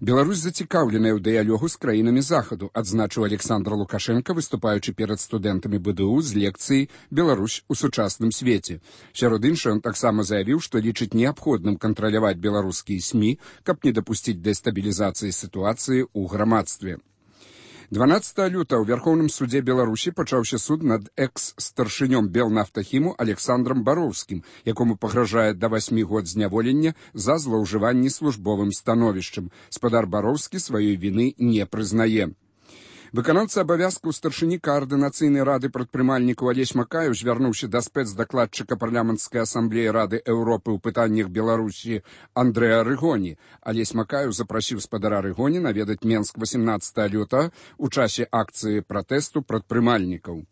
Беларусь зацікаўленая ў дыялогу з краінамі захаду, адзначыў Александр Лукашенко, выступаючы перад студэнтамі БДУ з лекцыяй «Беларусь у сучасным свеце». Сярод іншага, ён таксама заявіў, што лічыць неабходным кантраляваць беларускія СМІ, каб не дапусціць дэстабілізацыі сітуацыі ў грамадстве. дванаццатага лютага ў Вярхоўным судзе Беларусі пачаўся суд над экс-старшынём Белнафтахіму Александром Бароўскім, якому пагражае да васьмі год зняволення за злоўжыванне службовым становішчам. Спадар Бароўскі сваёй віны не прызнае. Выканаўца абавязкаў старшыні каардынацыйнай рады прадпрымальнікаў Алесь Макаеў, звярнуўся да спецдакладчыка парламенцкай асамблеі Рады Еўропы ў пытаннях Беларусі Андрэа Рыгоні. Алесь Макаеў запрасіў спадара Рыгоні наведаць Менск васемнаццатага лютага у часе акцыі пратэсту прадпрымальнікаў.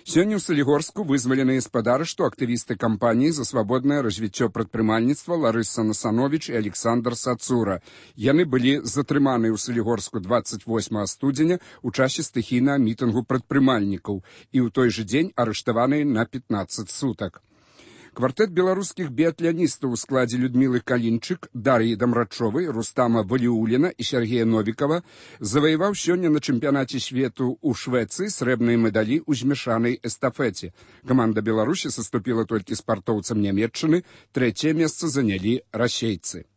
Сёння ў Салігорску вызваленыя спадары, што актывісты кампаніі за свабоднае развіццё прадпрымальніцтва Ларыса Насановіч і Александр Сацура. Яны былі затрыманыя ў Салігорску дваццаць восьмага студзеня ў часе стыхійнага мітынгу прадпрымальнікаў і ў той жа дзень арыштаваныя на пятнаццаць сутак. Квартэт беларускіх біятляністаў у складзе Людмілы Калінчык, Дар'і Дамрачовай, Рустама Валіуліна і Сергея Новікава заваяваў сёння на чэмпіянаце свету ў Швецыі срэбныя медалі ў змяшанай эстафеце. Каманда Беларусі саступіла толькі спартоўцам Нямецчыны, трэцяе месца занялі расейцы.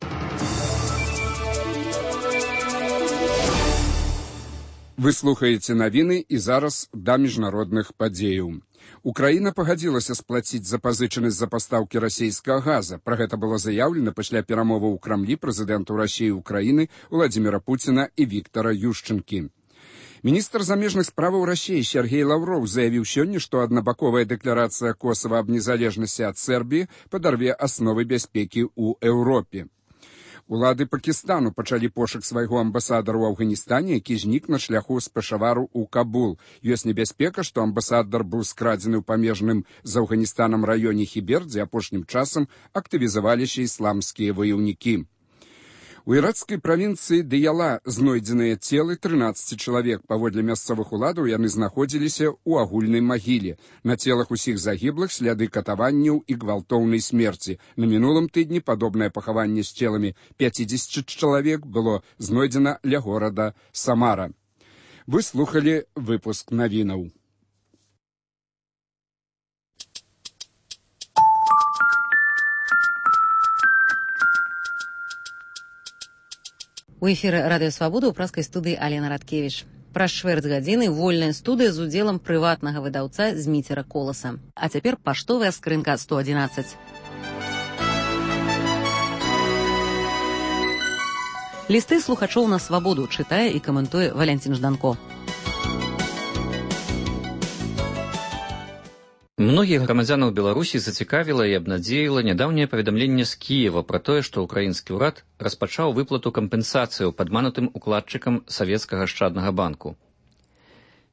Вы слухаеце навіны і зараз да міжнародных падзеяў. Украіна пагадзілася сплаціць запазычанасць за пастаўкі расійскага газа. Пра гэта было заяўлена пасля перамоваў у Крамлі прэзідэнтаў Расіі і Украіны Владзіміра Пуціна і Віктара Юшчэнкі. Міністр замежных справаў Расіі Сергей Лаўроў заявіў сёння, што аднабаковая дэкларацыя Косава аб незалежнасці ад Сербіі падарве асновы бяспекі ў Еўропе. Улады Пакістану пачалі пошук свайго амбасадара ў Афганістане, які знік на шляху з Пешавару ў Кабул. Ёсць небяспека, што амбасадар быў скрадзены ў памежным з Афганістанам раёне Хібер, дзе апошнім часам актывізаваліся ісламскія ваяўнікі. У іракскай правінцыі Дыяла знойдзеныя целы трынаццаці чалавек. Паводле мясцовых уладаў яны знаходзіліся ў агульнай магіле. На целах усіх загіблых сляды катаванняў і гвалтоўнай смерці. На мінулым тыдні падобнае пахаванне з целамі пяцідзесяці чалавек было знойдзена ля горада Самара. Вы слухалі выпуск навінаў. У эфіры радыё «Свабода» ў праскай студыі Алена Радкевіч. Праз чвэрць гадзіны вольная студыя з удзелам прыватнага выдаўца Зміцера Коласа. А цяпер паштовая скрынка сто адзінаццаць. Лісты слухачоў на свабоду чытае і каментуе Валянцін Жданко. Многіх грамадзянаў Беларусі зацікавіла і абнадзеіла нядаўняе паведамленне з Кіева пра тое, што ўкраінскі ўрад распачаў выплату кампенсацыяў падманутым укладчыкам савецкага ашчаднага банку.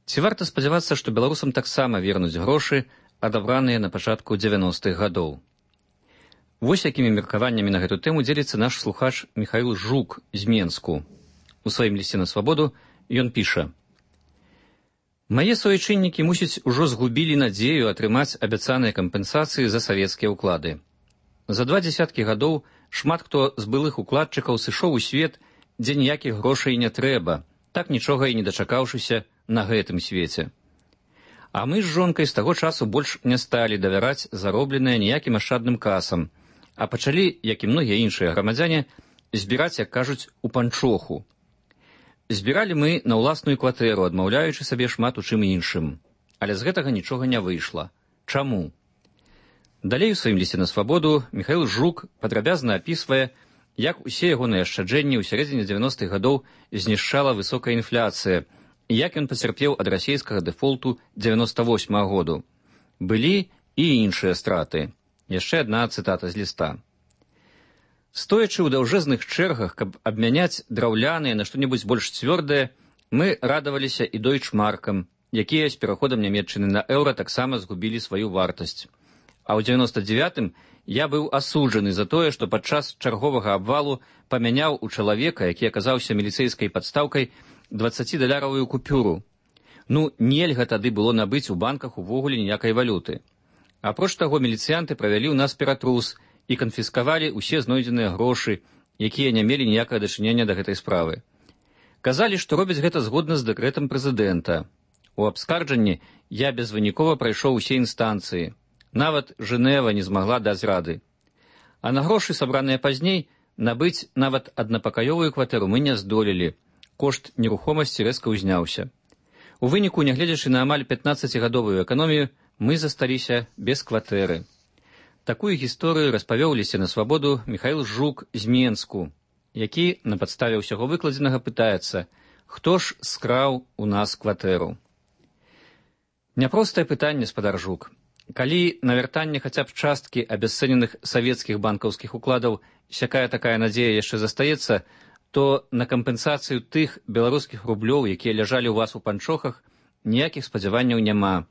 Ці варта спадзявацца, што беларусам таксама вернуць грошы, адабраныя на пачатку дзевяностых гадоў? Вось якімі меркаваннямі на гэту тэму дзеліцца наш слухач Міхаіл Жук з Менску. У сваім лісце на свабоду ён піша: «Мае суайчыннікі, мусіць, ужо згубілі надзею атрымаць абяцаныя кампенсацыі за савецкія ўклады. За два дзесяткі гадоў шмат хто з былых укладчыкаў сышоў у свет, дзе ніякіх грошай не трэба, так нічога і не дачакаўшыся на гэтым свеце. А мы з жонкай з таго часу больш не сталі давяраць заробленае ніякім ашчадным касам, а пачалі, як і многія іншыя грамадзяне, збіраць, як кажуць, у панчоху. Збіралі мы на ўласную кватэру, адмаўляючы сабе шмат у чым іншым. Але з гэтага нічога не выйшла. Чаму? Далей у сваім лісце на свабоду Міхаіл Жук падрабязна апісвае, як усе ягоныя ашчаджэнні ў сярэдзіне дзевяностых гадоў знішчала высокая інфляцыя і як ён пацярпеў ад расійскага дэфолту дзевяноста восьмага году. Былі і іншыя страты. Яшчэ адна цытата з ліста. Стоячы ў даўжэзных чэргах, каб абмяняць драўляныя на што-небудзь больш цвёрдае, мы радаваліся і дойчмаркам, якія з пераходам Нямецчыны на еўра таксама згубілі сваю вартасць. А ў дзевяноста дзевятым я быў асуджаны за тое, што падчас чарговага абвалу памяняў у чалавека, які аказаўся міліцэйскай падстаўкай, дваццацідаляровую купюру. Ну, нельга тады было набыць у банках увогуле ніякай валюты. Апроч таго, міліцыянты правялі ў нас ператрус і канфіскавалі ўсе знойдзеныя грошы, якія не мелі ніякага дачынення да гэтай справы. Казалі, што робяць гэта згодна з дэкрэтам прэзідэнта. У абскарджанні я безвынікова прайшоў усе інстанцыі. Нават Жэнева не змагла даць рады. А на грошы, сабраныя пазней, набыць нават аднапакаёвую кватэру мы не здолелі. Кошт нерухомасці рэзка ўзняўся. У выніку, нягледзячы на амаль пятнаццацігадовую эканомію, мы засталіся без кватэры. Такую гісторыю распавёў лісце на свабоду Міхаіл Жук з Менску, які на падставе ўсяго выкладзенага пытаецца, хто ж скраў у нас кватэру. Няпростае пытанне, спадар Жук. Калі на вяртанне хаця б часткі абясцэненых савецкіх банкаўскіх укладаў сякая-такая надзея яшчэ застаецца, то на кампенсацыю тых беларускіх рублёў, якія ляжалі ў вас у панчохах, ніякіх спадзяванняў няма.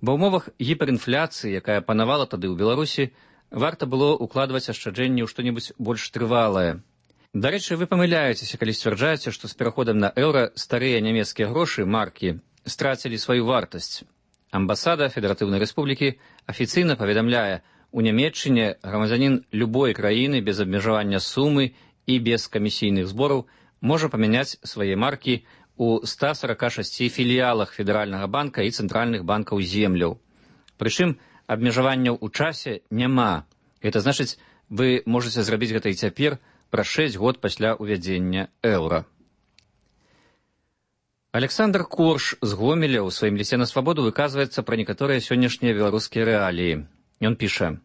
Ва ўмовах гіперінфляцыі, якая панавала тады ў Беларусі, варта было укладваць ашчаджэнні ў што-небудзь больш трывалае. Дарэчы, вы памыляецеся, калі сцвярджаеце, што з пераходам на еўра старыя нямецкія грошы, маркі, страцілі сваю вартасць. Амбасада Федэратыўнай Рэспублікі афіцыйна паведамляе, у Нямецчыне грамадзянін любой краіны без абмежавання сумы і без камісійных збораў можа памяняць свае маркі у ста сарака шасці філіялах Федэральнага банка і цэнтральных банкаў земляў. Прычым абмежаванняў у часе няма. Гэта значыць, вы можаце зрабіць гэта і цяпер праз шэсць год пасля ўвядзення еўра. Александр Корш з Гомеля ў сваім лісце на свабоду выказваецца пра некаторыя сённяшнія беларускія рэаліі. Ён піша: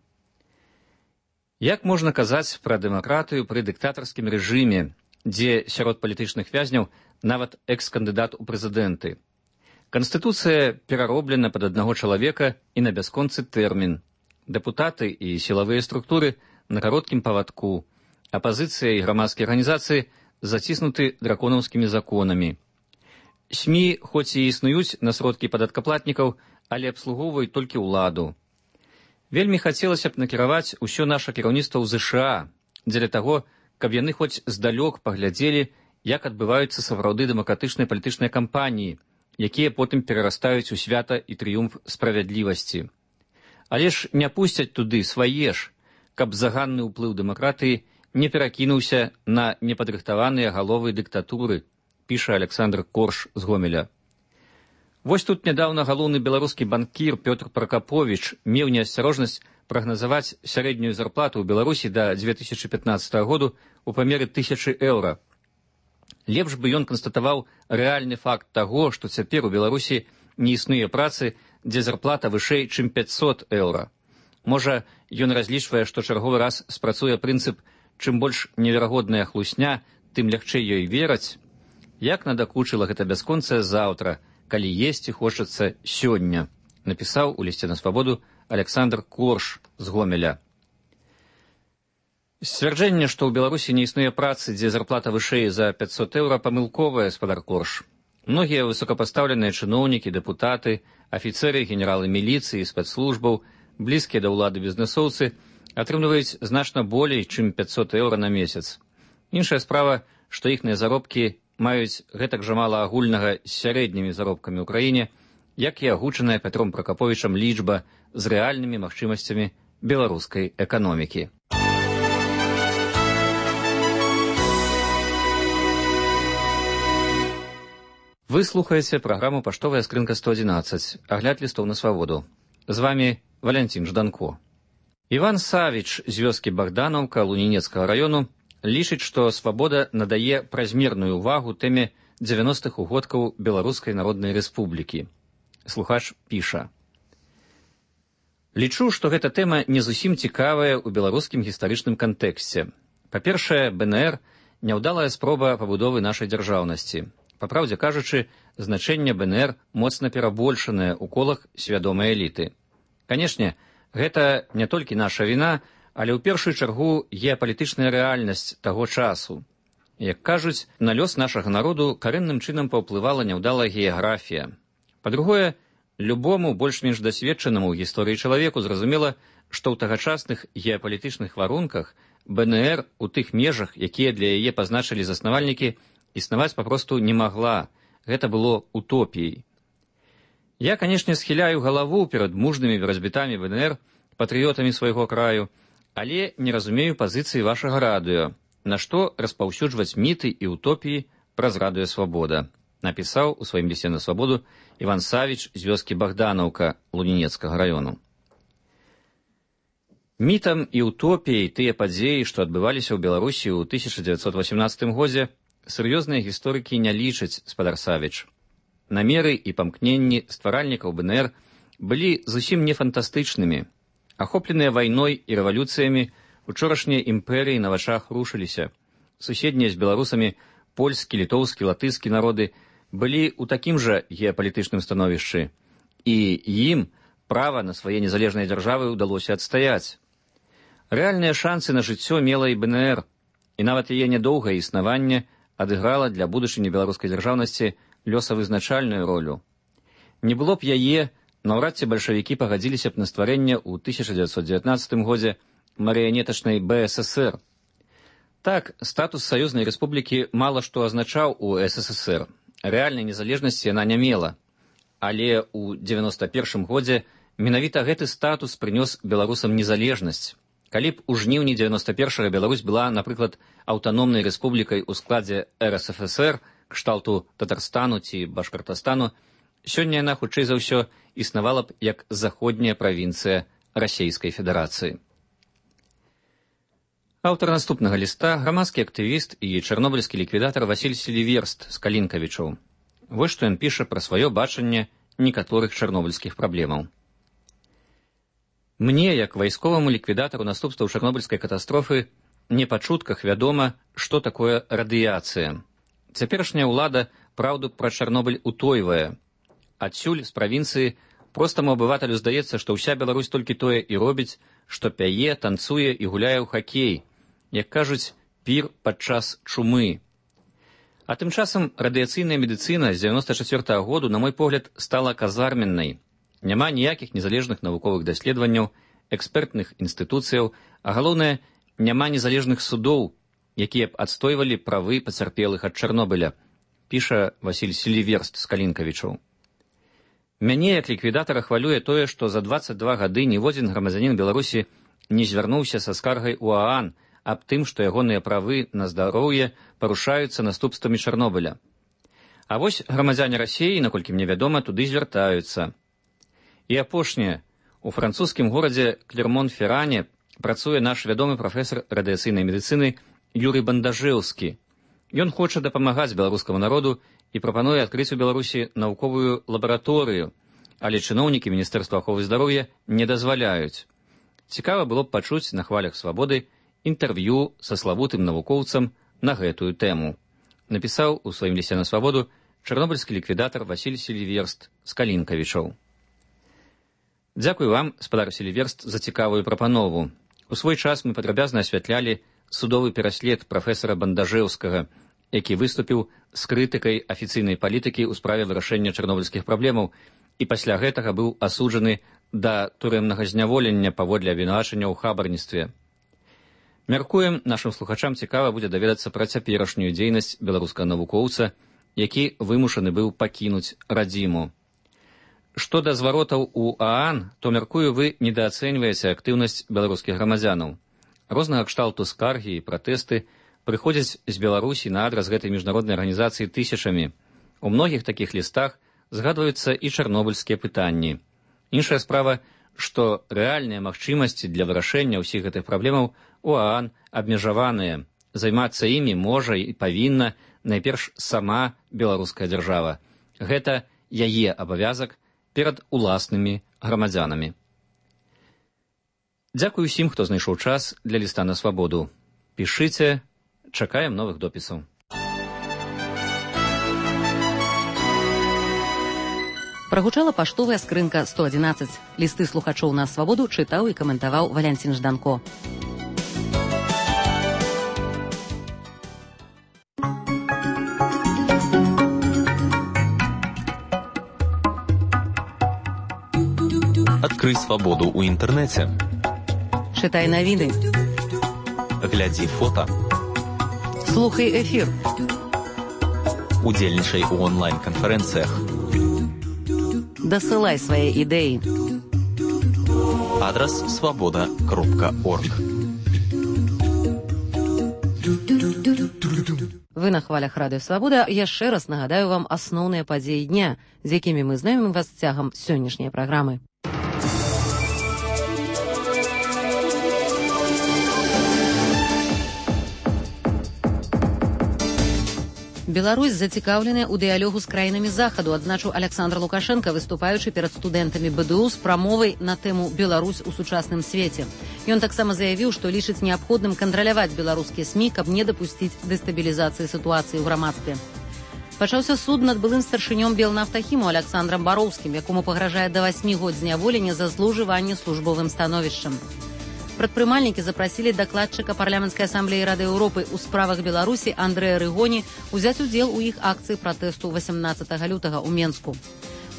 «Як можна казаць пра дэмакратыю пры дыктатарскім рэжыме, дзе сярод палітычных вязняў нават экс-кандыдат у прэзідэнты? Канстытуцыя перароблена пад аднаго чалавека і на бясконцы тэрмін. Дэпутаты і сілавыя структуры на кароткім павадку. Апазіцыя і грамадскія арганізацыі заціснуты драконаўскімі законамі. СМІ хоць і існуюць на сродкі падаткаплатнікаў, але абслугоўваюць толькі ўладу. Вельмі хацелася б накіраваць усё наша кіраўніцтва ў ЗША дзеля таго, каб яны хоць здалёк паглядзелі, як адбываюцца сапраўды дэмакратычныя палітычныя кампаніі, якія потым перарастаюць у свята і трыумф справядлівасці. Але ж не пусцяць туды свае ж, каб заганны ўплыў дэмакратыі не перакінуўся на непадрыхтаваныя галовы дыктатуры, піша Александр Корш з Гомеля. Вось тут нядаўна галоўны беларускі банкір Пётр Пракаповіч меў неасцярожнасць прагназаваць сярэднюю зарплату ў Беларусі да дзве тысячы пятнаццатага году ў памеры тысячы еўра. Лепш бы ён канстатаваў рэальны факт таго, што цяпер у Беларусі не існуе працы, дзе зарплата вышэй, чым пяцьсот еўра. Можа, ён разлічвае, што чарговы раз спрацуе прынцып «чым больш неверагодная хлусня, тым лягчэй ёй вераць». Як надакучыла гэта бясконцае заўтра, калі есці хочацца сёння, напісаў у лісце на свабоду Александр Корш з Гомеля. Сцвярджэнне, што ў Беларусі не існуе працы, дзе зарплата вышэй за пяцьсот еўра, памылковая, спадар Корш. Многія высокапастаўленыя чыноўнікі, дэпутаты, афіцэры, генералы міліцыі, спецслужбаў, блізкія да ўлады бізнэсоўцы атрымліваюць значна болей, чым пяцьсот еўра на месяц. Іншая справа, што іхныя заробкі маюць гэтак жа мала агульнага з сярэднімі заробкамі ў краіне, як і агучаная Пятром Пракаповічам лічба з рэальнымі магчымасцямі беларускай эканомікі. Вы слухаеце праграму «Паштовая скрынка сто адзінаццаць», агляд лістоў на свабоду. З вамі Валянцін Жданко. Іван Савіч з вёскі Богдановка Лунінецкага раёну лічыць, што «Свабода» надае празмерную ўвагу тэме дзевяностых угодкаў Беларускай Народнай Рэспублікі. Слухач піша: «Лічу, што гэта тэма не зусім цікавая ў беларускім гістарычным кантэксце. Па-першае, бэ эн эр – няўдалая спроба пабудовы нашай дзяржаўнасці. Па праўдзе кажучы, значэнне бэ эн эр моцна перабольшанае ў колах свядомай эліты. Канешне, гэта не толькі наша віна, але ў першую чаргу геапалітычная рэальнасць таго часу. Як кажуць, на лёс нашага народу карэнным чынам паўплывала няўдалая геаграфія. Па-другое, любому больш-менш дасведчанаму ў гісторыі чалавеку зразумела, што ў тагачасных геапалітычных варунках бэ эн эр у тых межах, якія для яе пазначылі заснавальнікі, існаваць папросту не магла. Гэта было утопіяй. Я, канешне, схіляю галаву перад мужнымі барацьбітамі бэ эн эр, патрыётамі свайго краю, але не разумею пазіцыі вашага радыё, на што распаўсюджваць міты і утопіі праз радыё «Свабода», напісаў у сваім лісце на «Свабоду» Іван Савіч з вёскі Богданаўка Лунінецкага раёну. Мітам і утопіяй тыя падзеі, што адбываліся ў Беларусі ў тысяча дзевяцьсот васямнаццатым годзе, сур'ёзныя гісторыкі не лічаць, спадар Савіч. Намеры і памкненні стваральнікаў бэ эн эр былі зусім не фантастычнымі. Ахопленыя вайной і рэвалюцыямі, учорашнія імперыі на вачах рушыліся. Суседнія з беларусамі польскі, літоўскі, латышскі народы былі ў такім жа геапалітычным становішчы, і ім права на свае незалежныя дзяржавы ўдалося адстаяць. Рэальныя шансы на жыццё мела і бэ эн эр, і нават яе нядоўгае існаванне адыграла для будучыні беларускай дзяржаўнасці лёсавызначальную ролю. Не было б яе, наўрад ці бальшавікі пагадзіліся б на стварэнне ў тысяча дзевяцьсот дзевятнаццатым годзе марыянетачнай бэ эс эс эр. Так, статус саюзнай рэспублікі мала што азначаў у эс эс эс эр. Рэальнай незалежнасці яна не мела. Але ў дзевяноста першым годзе менавіта гэты статус прынёс беларусам незалежнасць. Калі б у жніўні дзевяноста першага Беларусь была, напрыклад, аўтаномнай рэспублікай у складзе эр эс эф эс эр, кшталту Татарстану ці Башкартастану, сёння яна, хутчэй за ўсё, існавала б як заходняя правінцыя Расейскай Федэрацыі. Аўтар наступнага ліста – грамадскі актывіст і чарнобыльскі ліквідатар Васіль Селіверст з Калінкавічаў. Вось што ён піша пра сваё бачанне некаторых чарнобыльскіх праблемаў. Мне, як вайсковаму ліквідатару наступстваў чарнобыльскай катастрофы, не па чутках вядома, што такое радыяцыя. Цяперашняя ўлада праўду пра Чарнобыль утойвае. Адсюль, з правінцыі, простаму абывателю здаецца, што ўся Беларусь толькі тое і робіць, што пяе, танцуе і гуляе ў хакей, як кажуць, пір падчас чумы. А тым часам радыяцыйная медыцына з дзевяноста чацвёртага году, на мой погляд, стала казарменнай. Няма ніякіх незалежных навуковых даследаванняў, экспертных інстытуцыяў, а галоўнае, няма незалежных судоў, якія б адстойвалі правы пацярпелых ад Чарнобыля, піша Васіль Селіверст з Калінкавічаў. Мяне, як ліквідатара, хвалюе тое, што за дваццаць два гады ніводзін грамадзянін Беларусі не звярнуўся са скаргай у ААН аб тым, што ягоныя правы на здароўе парушаюцца наступствамі Чарнобыля. А вось грамадзяне Расіі, наколькі мне вядома, туды звяртаюцца. І апошняе. У французскім горадзе Клермон-Ферране працуе наш вядомы прафесар радыяцыйнай медыцыны Юрый Бандажэўскі. Ён хоча дапамагаць беларускаму народу і прапануе адкрыць у Беларусі навуковую лабараторыю, але чыноўнікі Міністэрства аховы здароўя не дазваляюць. Цікава было б пачуць на хвалях «Свабоды» інтэрв'ю са славутым навукоўцам на гэтую тэму. Напісаў у сваім лісце на «Свабоду» чарнобыльскі ліквідатар Васіль Селіверст з Калінкавічаў. Дзякуй вам, спадар Селіверст, за цікавую прапанову. У свой час мы падрабязна асвятлялі судовы пераслед прафесара Бандажэўскага, які выступіў з крытыкай афіцыйнай палітыкі ў справе вырашэння чарнобыльскіх праблемаў і пасля гэтага быў асуджаны да турэмнага зняволення паводле абвінавачання ў хабарніцтве. Мяркуем, нашым слухачам цікава будзе даведацца пра цяперашнюю дзейнасць беларускага навукоўца, які вымушаны быў пакінуць радзіму. Што да зваротаў у ААН, то, мяркую, вы недаацэньваеце актыўнасць беларускіх грамадзянаў. Рознага кшталту скаргі і пратэсты прыходзяць з Беларусі на адрас гэтай міжнароднай арганізацыі тысячамі. У многіх такіх лістах згадваюцца і чарнобыльскія пытанні. Іншая справа, што рэальныя магчымасці для вырашэння ўсіх гэтых праблемаў у ААН абмежаваныя, Займацца імі можа і павінна найперш сама беларуская дзяржава. Гэта яе абавязак перад уласнымі грамадзянамі. Дзякуй усім, хто знайшоў час для ліста на свабоду. Пішыце, чакаем новых допісаў. Прагучала паштовая скрынка сто адзінаццаць. Лісты слухачоў на свабоду чытаў і каментаваў Валянцін Жданко. Адкрый свабоду ў інтэрнэце. Чытай навіны. Глядзі фота. Слухай эфір. Удзельнічай у онлайн-канферэнцыях. Дасылай свае ідэі. Адрас свабода кропка орг. Вы на хвалях Радыё Свабода. Яшчэ раз нагадаю вам асноўныя падзеі дня, з якімі мы знаёмім вас цягам сённяшняй праграмы. Беларусь зацікаўленая ў дыялогу з краінамі захаду, адзначыў Александр Лукашенко, выступаючы перад студэнтамі БДУ з прамовай на тэму «Беларусь у сучасным свеце». Ён таксама заявіў, што лічыць неабходным кантраляваць беларускія СМІ, каб не дапусціць дэстабілізацыі сітуацыі ў грамадстве. Пачаўся суд над былым старшынём Белнафтахіму Александрам Бароўскім, якому пагражае да васьмі год зняволення за злоўжыванне службовым становішчам. Прадпрымальнікі запрасілі дакладчыка парламенцкай асамблеі Рады Еўропы ў справах Беларусі Андрэя Рыгоні узяць удзел у іх акцыі пратэсту васямнаццатага лютага ў Менску.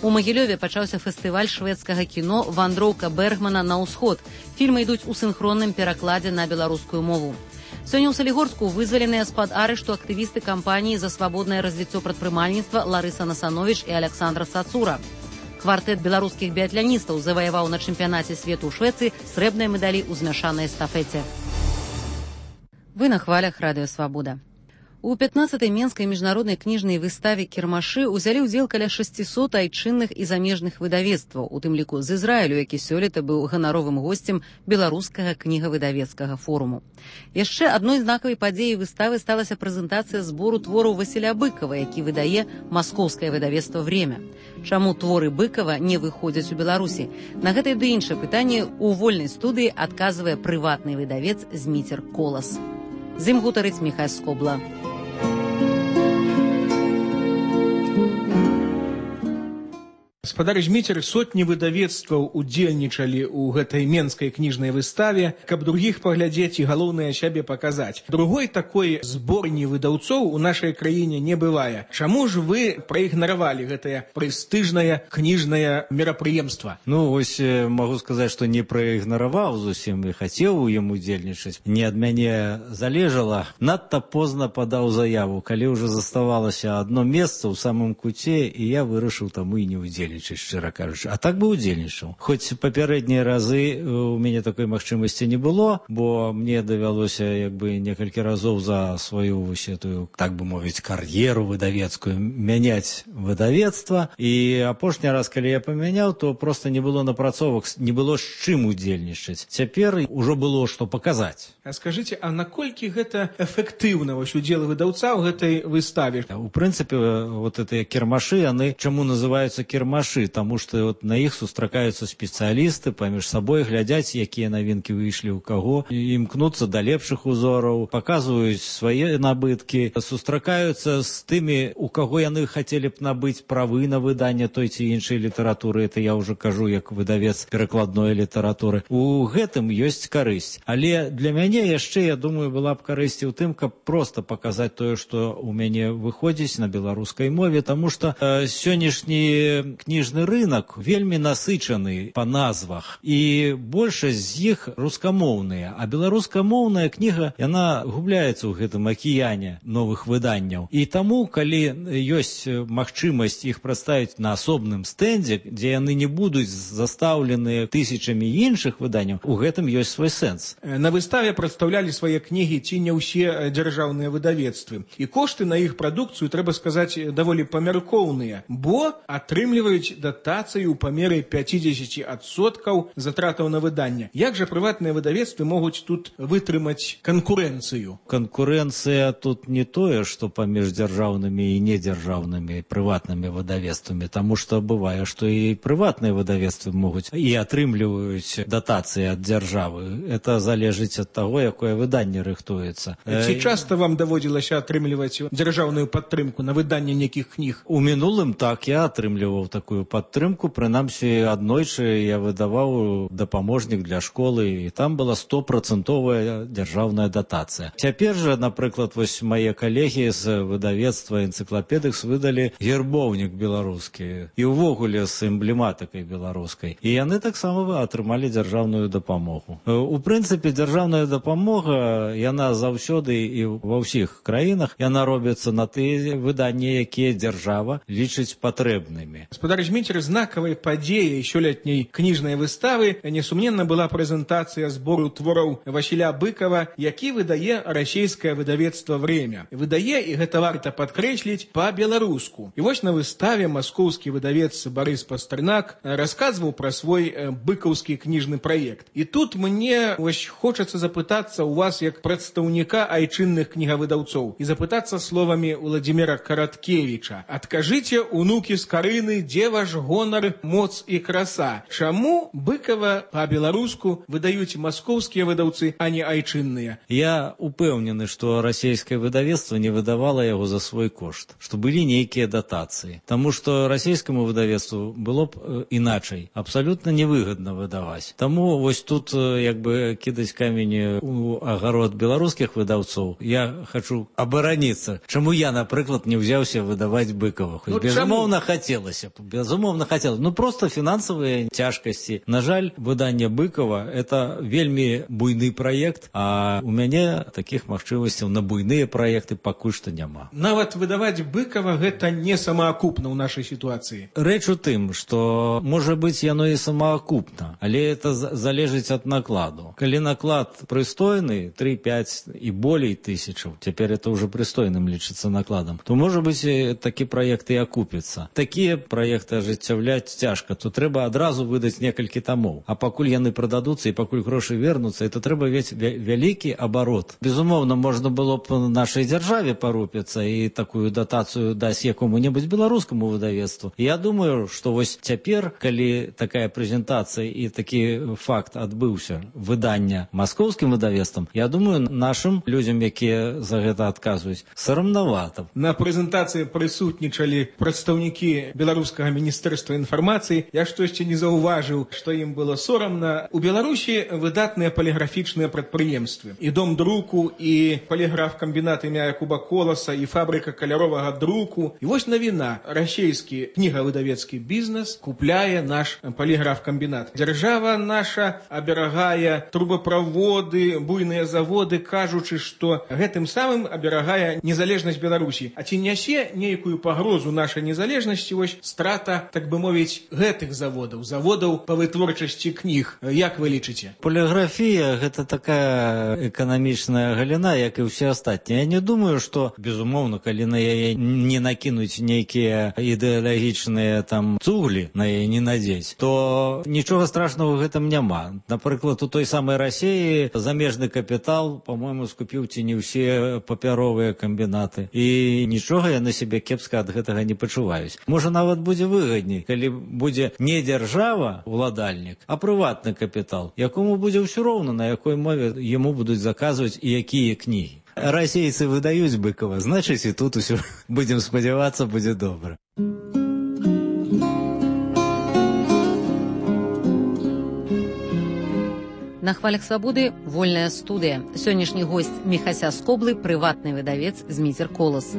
У Магілёве пачаўся фестываль шведскага кіно «Вандроўка Бергмана на ўсход». Фільмы ідуць у сінхронным перакладзе на беларускую мову. Сёння ў Салігорску вызваленыя з-пад арышту актывісты кампаніі за свабоднае развіццё прадпрымальніцтва Ларыса Насановіч і Александр Сацура. Квартэт беларускіх біятляністаў заваяваў на чэмпіянаце свету ў Швецыі срэбныя медалі ў змяшанай эстафеце. Вы на хвалях Радыё Свабода. У пятнаццатай Менскай міжнароднай кніжнай выставе «Кірмашы» узялі ўдзел каля шасцісот айчынных і замежных выдавецтваў, у тым ліку з Ізраілю, які сёлета быў ганаровым госцем беларускага кнігавыдавецкага форуму. Яшчэ адной знакавай падзеяй выставы сталася прэзентацыя збору твораў Васіля Быкава, які выдае маскоўскае выдавецтва «Время». Чаму творы Быкава не выходзяць у Беларусі? На гэтае ды іншае пытанне ў вольнай студыі адказвае прыватны выдавец Зміцер Колас. З ім гутарыць Міхай Скобла. Гаспадар Зміцер, сотні выдавецтваў удзельнічалі ў гэтай менскай кніжнай выставе, каб другіх паглядзець і галоўнае сябе паказаць. Другой такой зборні выдаўцоў у нашай краіне не бывае. Чаму ж вы праігнаравалі гэтае прэстыжнае кніжнае мерапрыемства? Ну, вось магу сказаць, што не праігнараваў зусім і хацеў у ім удзельнічаць. Не ад мяне залежала. Надта позна падаў заяву, калі ўжо заставалася адно месца ў самым куце, і я вырашыў таму і не удзельнічаць. Шчыра кажучы. А так бы удзельнічаў. Хоць папярэднія разы у мяне такой магчымасці не было, бо мне давялося як бы некалькі разоў за сваю вось этую, так бы мовіць, кар'еру выдавецкую мяняць выдавецтва. І апошні раз, калі я памяняў, то проста не было напрацовак, не было з чым удзельнічаць. Цяпер ужо было што паказаць. А скажыце, а наколькі гэта эфектыўна вось удзел выдаўца ў гэтай выставе? У прынцыпе, вот гэтыя кірмашы, яны чаму называюцца кірмашы? Таму што вот на іх сустракаюцца спецыялісты, паміж сабой глядзяць, якія навінкі выйшлі ў каго, імкнуцца да лепшых узораў, паказваюць свае набыткі, сустракаюцца з тымі, у каго яны хацелі б набыць правы на выданне той ці іншай літаратуры. Это я ўжо кажу як выдавец перакладной літаратуры. У гэтым ёсць карысць. Але для мяне яшчэ, я думаю, была б карысць у тым, каб проста паказаць тое, што ў мяне выходзіць на беларускай мове, таму што э, сённяшні кніжны рынок вельмі насычаны па назвах, і большасць з іх рускамоўныя, а беларускамоўная кніга, яна губляецца ў гэтым акіяне новых выданняў. І таму, калі ёсць магчымасць іх прадставіць на асобным стэндзе, дзе яны не будуць застаўлены тысячамі іншых выданняў, у гэтым ёсць свой сэнс. На выставе прадстаўлялі свае кнігі ці не ўсе дзяржаўныя выдавецтвы. І кошты на іх прадукцыю, трэба сказаць, даволі памяркоўныя, бо атрымліваюць атрымліваюць датацыю ў памеры пятьдесят адсоткаў затратаў на выданне. Як жа прыватныя выдавецтвы могуць тут вытрымаць канкурэнцыю? Канкурэнцыя тут не тое, што паміж дзяржаўнымі і недзяржаўнымі прыватнымі выдавецтвамі, таму што бывае, што і прыватныя выдавецтвы могуць і атрымліваюць датацыі ад дзяржавы. Это залежыць ад таго, якое выданне рыхтуецца. Ці часта вам даводзілася атрымліваць дзяржаўную падтрымку на выданне нейкіх кніг? У мінулым так, я атрымліваў такую падтрымку, прынамсі аднойчы я выдаваў дапаможнік для школы, і там была стопрацэнтовая дзяржаўная датацыя. Цяпер жа, напрыклад, вось мае калегі з выдавецтва энцыклапедыкс выдалі гербоўнік беларускі і ўвогуле з эмблематыкай беларускай. І яны таксама атрымалі дзяржаўную дапамогу. У прынцыпе, дзяржаўная дапамога, яна заўсёды і ва ўсіх краінах, яна робіцца на тыя выданні, якія дзяржава лічыць патрэбнымі. Гаспадар Зміцер, знакавай падзеяй сёлетняй кніжнай выставы несумненна была прэзентацыя збору твораў Васіля Быкова, які выдае расійскае выдавецтва «Время». Выдае, і гэта варта падкрэсліць, па-беларуску. І вось на выставе маскоўскі выдавец Барыс Пастэрнак расказваў пра свой быкаўскі кніжны праект. І тут мне вось хочацца запытацца у вас як прадстаўніка айчынных кнігавыдаўцоў і запытацца словамі Владзіміра Караткевіча. Адкажыце, унукі з Карыны, дзе ваш гонар, моц і краса? Чаму Быкова па-беларуску выдаюць маскоўскія выдаўцы, а не айчынныя? Я упэўнены, што расійскае выдавецтва не выдавала яго за свой кошт, што былі нейкія датацыі. Таму што расійскаму выдавецтву было б іначай абсалютна невыгадна выдаваць. Таму вось тут як бы кідаць камень у агарод беларускіх выдаўцоў. Я хачу абараніцца. Чаму я, напрыклад, не ўзяўся выдаваць Быкова? Хоць, ну, безумоўна, хацелася. Безумоўна, хацелася. Ну, проста фінансавыя цяжкасці. На жаль, выданне Быкова – это вельмі буйны праект, а у мяне такіх магчымасцяў на буйныя праекты пакуль што няма. Нават выдаваць Быкова – гэта не самаакупна ў нашай сітуацыі. Рэч у тым, што, можа быць, яно і самаакупна, але это залежыць ад накладу. Калі наклад прыстойны, три-пять і болей тысячаў, цяпер это ўжо прыстойным лічыцца накладам, то, можа быць, такі праект і акупіцца. Такія праекты ажыццяўляць цяжка, то трэба адразу выдаць некалькі тамоў. А пакуль яны прададуцца і пакуль грошы вернуцца, это трэба весь вялікі абарот. Безумоўна, можна было б нашай дзяржаве парупіцца і такую датацыю даць якому-небудзь беларускаму выдавецтву. Я думаю, што вось цяпер, калі такая прэзентацыя і такі факт адбыўся выдання маскоўскім выдавецтвам, я думаю, нашым людзям, якія за гэта адказваюць, сарамнавата. На прэзентацыі прысутнічалі прадстаўнікі беларускага міністэрства інфармацыі. Я штосьці не заўважыў, што ім было сорамна. У Беларусі выдатныя паліграфічныя прадпрыемствы. І дом друку, і паліграф-камбінат імя Якуба Коласа, і фабрыка каляровага друку. І вось навіна. Расійскі кнігавыдавецкі бізнес купляе наш паліграф-камбінат. Дзяржава наша аберагае трубаправоды, буйныя заводы, кажучы, што гэтым самым аберагае незалежнасць Беларусі. А ці нясе нейкую пагрозу нашай незалежнасці вось страта, так бы мовіць, гэтых заводаў, заводаў па вытворчасці кніг? Як вы лічыце? Поліграфія – гэта такая эканамічная галіна, як і ўсе астатнія. Я не думаю, што, безумоўна, калі на яе не накінуць нейкія ідэалагічныя там цуглі, на яе не надзець, то нічога страшного ў гэтым няма. Напрыклад, у той самай Расіі замежны капітал, по-моему, скупіў ці не ўсе папяровыя камбінаты. І нічога яны сябе кепска ад гэтага не пачуваюць. Можа, нават будзе выгадней, калі будзе не дзяржава, уладальнік, а прыватны капітал, якому будзе ўсё роўна, на якой мове яму будуць заказваць і якія кнігі. Расейцы выдаюць Быкова, значыць, і тут усё, будзем спадзявацца, будзе добра. На хвалях свабоды вольная студыя. Сённяшні госць Міхася Скоблы, прыватны выдавец Зміцер Колас.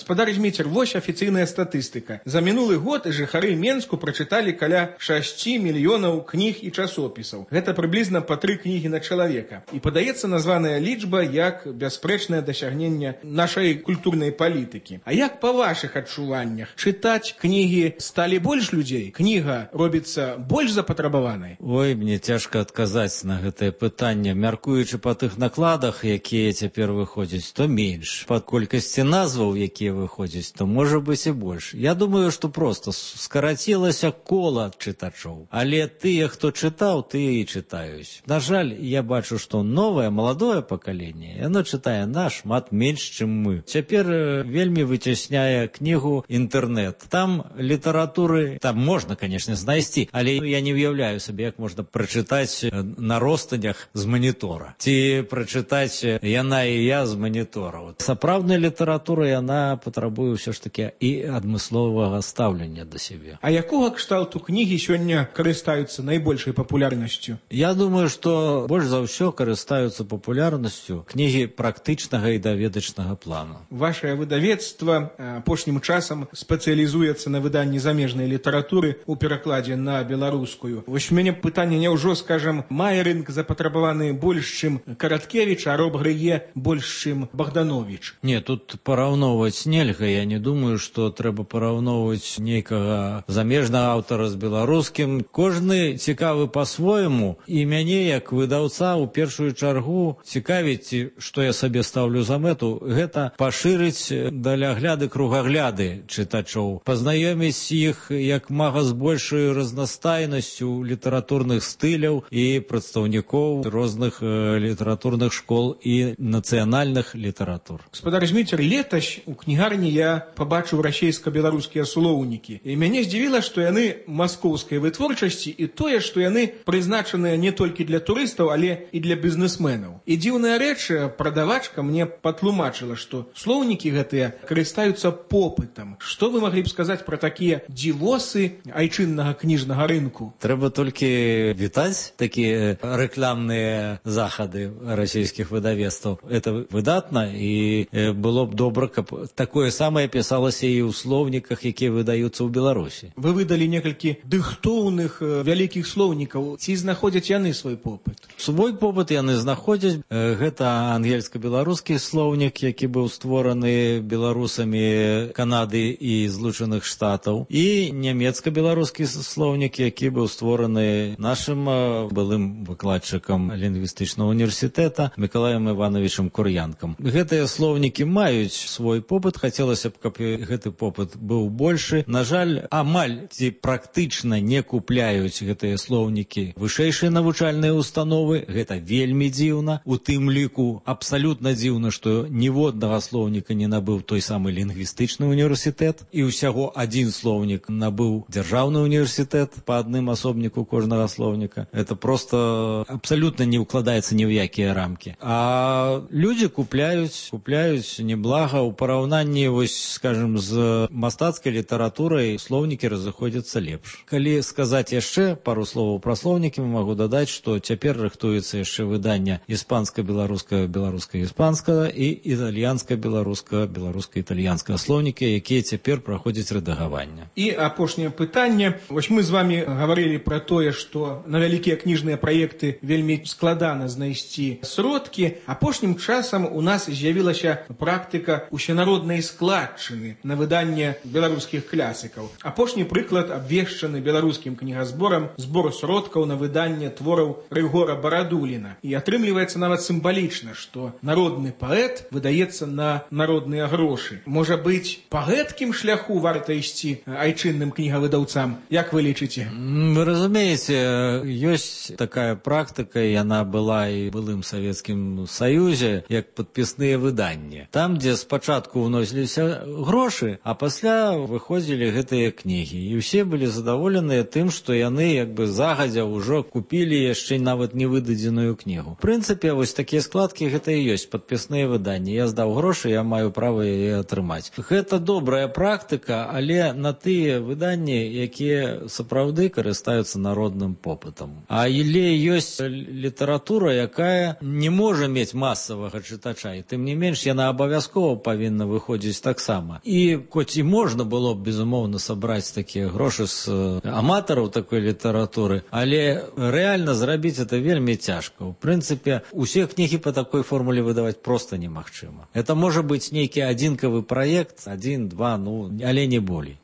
Гаспадар Зміцер, вось афіцыйная статыстыка. За мінулы год жыхары Менску прачыталі каля шасці мільёнаў кніг і часопісаў. Гэта прыблізна па тры кнігі на чалавека. І падаецца названая лічба як бясспрэчнае дасягненне нашай культурнай палітыкі. А як па вашых адчуваннях? Чытаць кнігі сталі больш людзей? Кніга робіцца больш запатрабаванай? Ой, мне цяжка адказаць на гэтае пытанне. Мяркуючы па тых накладах, якія цяпер выходзяць, то менш. Па колькасці назваў, якія выходзяць, то можа быць і больш. Я думаю, што проста скарацілася кола чытачоў. Але тыя, хто чытаў, тыя і чытаюць. На жаль, я бачу, што новае, маладое пакаленне, яно чытае нашмат менш, чым мы. Цяпер вельмі выцясняе кнігу інтэрнэт. Там літаратуры, там можна, канешне, знайсці, але я не ўяўляю сабе, як можна прачытаць на ростанях з манітора. Ці прачытаць яна і я з манітора. Сапраўдная літаратура, яна патрабуе ўсё ж такі і адмысловага стаўлення да сябе. А якога кшталту кнігі сёння карыстаюцца найбольшай папулярнасцю? Я думаю, што больш за ўсё карыстаюцца папулярнасцю кнігі практычнага і даведачнага плану. Вашае выдавецтва апошнім часам спецыялізуецца на выданні замежнай літаратуры ў перакладзе на беларускую. Вось у мяне пытанне, няўжо, скажам, мае рынк запатрабаваны больш, чым Караткевіч, а Роб Грые больш, чым Богданович? Не, тут параўноўваць нельга. Я не думаю, што трэба параўноўваць нейкага замежнага аўтара з беларускім. Кожны цікавы па-свойму, і мяне, як выдаўца, у першую чаргу цікавіць, што я сабе стаўлю за мэту, гэта пашырыць далягляды, кругагляды чытачоў, пазнаёміць іх як мага з большай разнастайнасцю літаратурных стыляў і прадстаўнікоў розных э, літаратурных школ і нацыянальных літаратур. Гаспадар Зміцер, летась у кнігарні я пабачыў расейска-беларускія слоўнікі. І мяне здзівіла, што яны маскоўскай вытворчасці і тое, што яны прызначаныя не толькі для турыстаў, але і для бізнесменаў. І дзіўная рэч, прадавачка мне патлумачыла, што слоўнікі гэтыя карыстаюцца попытам. Што вы маглі б сказаць пра такія дзівосы айчыннага кніжнага рынку? Трэба толькі вітаць такія рэкламныя захады расійскіх выдавецтваў. Это выдатна, і было б добра, каб такое самае пісалася і ў слоўніках, якія выдаюцца ў Беларусі. Вы выдалі некалькі дыхтоўных вялікіх слоўнікаў. Ці знаходзяць яны свой попыт? Свой попыт яны знаходзяць. Гэта ангельска-беларускі слоўнік, які быў створаны беларусамі Канады і Злучаных Штатаў, і нямецка-беларускі слоўнік, які быў створаны нашым былым выкладчыкам лінгвістычнага універсітэта Мікалаем Івановичам Кур'янкам. Гэтыя слоўнікі маюць свой попыт, хацелася б, каб гэты попыт быў большы. На жаль, амаль ці практычна не купляюць гэтыя слоўнікі вышэйшыя навучальныя установы. Гэта вельмі дзіўна. У тым ліку абсалютна дзіўна, што ніводнага слоўніка не набыў той самы лінгвістычны універсітэт, і ўсяго адзін слоўнік набыў дзяржаўны універсітэт па адным асобніку кожнага слоўніка. Это просто абсалютна не ўкладаецца ні ў якія рамкі. А людзі купляюць, купляюць неблага. У параўнанні, вось, скажем, з мастацкай літаратурай слоўнікі разыходзяцца лепш. Калі сказаць яшчэ пару словаў пра слоўнікі, магу дадаць, што цяпер рыхтуецца яшчэ выданне іспанска-беларускага, беларуска-іспанскага і італьянска-беларускага, беларуска-італьянскага слоўнікі, якія цяпер праходзяць рэдагаванне. І апошняе пытанне. Вось мы з вами гаварылі пра тое, што на вялікія кніжныя праекты вельмі складана знайсці сродкі. Апошнім часам у нас з'явілася практыка усенароднай складчыны на выданне беларускіх класікаў. Апошні прыклад абвешчаны беларускім кнігазборам збор сродкаў на выданне твораў Рыгора Барадуліна. І атрымліваецца нават сімвалічна, што народны паэт выдаецца на народныя грошы. Можа быць, па гэткім шляху варта ісці айчынным кнігавыдаўцам? Як вы лічыце? Вы разумееце, ёсць такая практыка, яна была і былым Савецкім Саюзе, як падпісныя выданні. Там, дзе спачатку ўносіліся грошы, а пасля выходзілі гэтыя кнігі. І ўсе былі задаволеныя тым, што яны як бы загадзя ўжо купілі яшчэ нават невыдадзеную кнігу. В прынцыпе, вось такія складкі гэта і ёсць падпісныя выданні. Я здаў грошы, я маю права яе атрымаць. Гэта добрая практыка, але на тыя выданні, якія сапраўды карыстаюцца народным попытам. А але ёсць літаратура, якая не можа мець масавага чытача, і тым не менш яна абавязкова павінна выходзіць выходзіць таксама. І хоць і можна было б, безумоўна, сабраць такія грошы з аматараў такой літаратуры, але рэальна зрабіць это вельмі цяжка. У прынцыпе, усе кнігі па такой формуле выдаваць проста немагчыма. Это можа быць нейкі адзінкавы праект, адзін, два, ну, але не болей.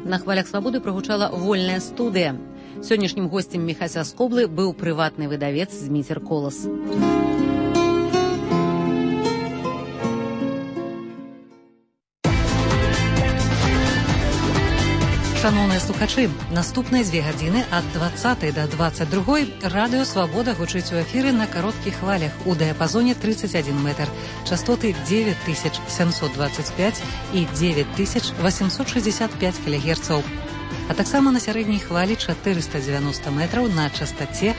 На хвалях свабоды прагучала вольная студыя. Сённяшнім госцем Міхася Скоблы быў прыватны выдавец Зміцер Колас. Шановныя слухачы, наступныя дзве гадзіны ад дваццатай да дваццаць другой радыё «Свабода» гучыць у эфіры на кароткіх хвалях у дыяпазоне тридцать один метр, частоты девять тысяч семьсот двадцать пять і девять тысяч восемьсот шестьдесят пять кілогерцаў, а таксама на сярэдняй хвалі чатырыста дзевяносто метраў на частоце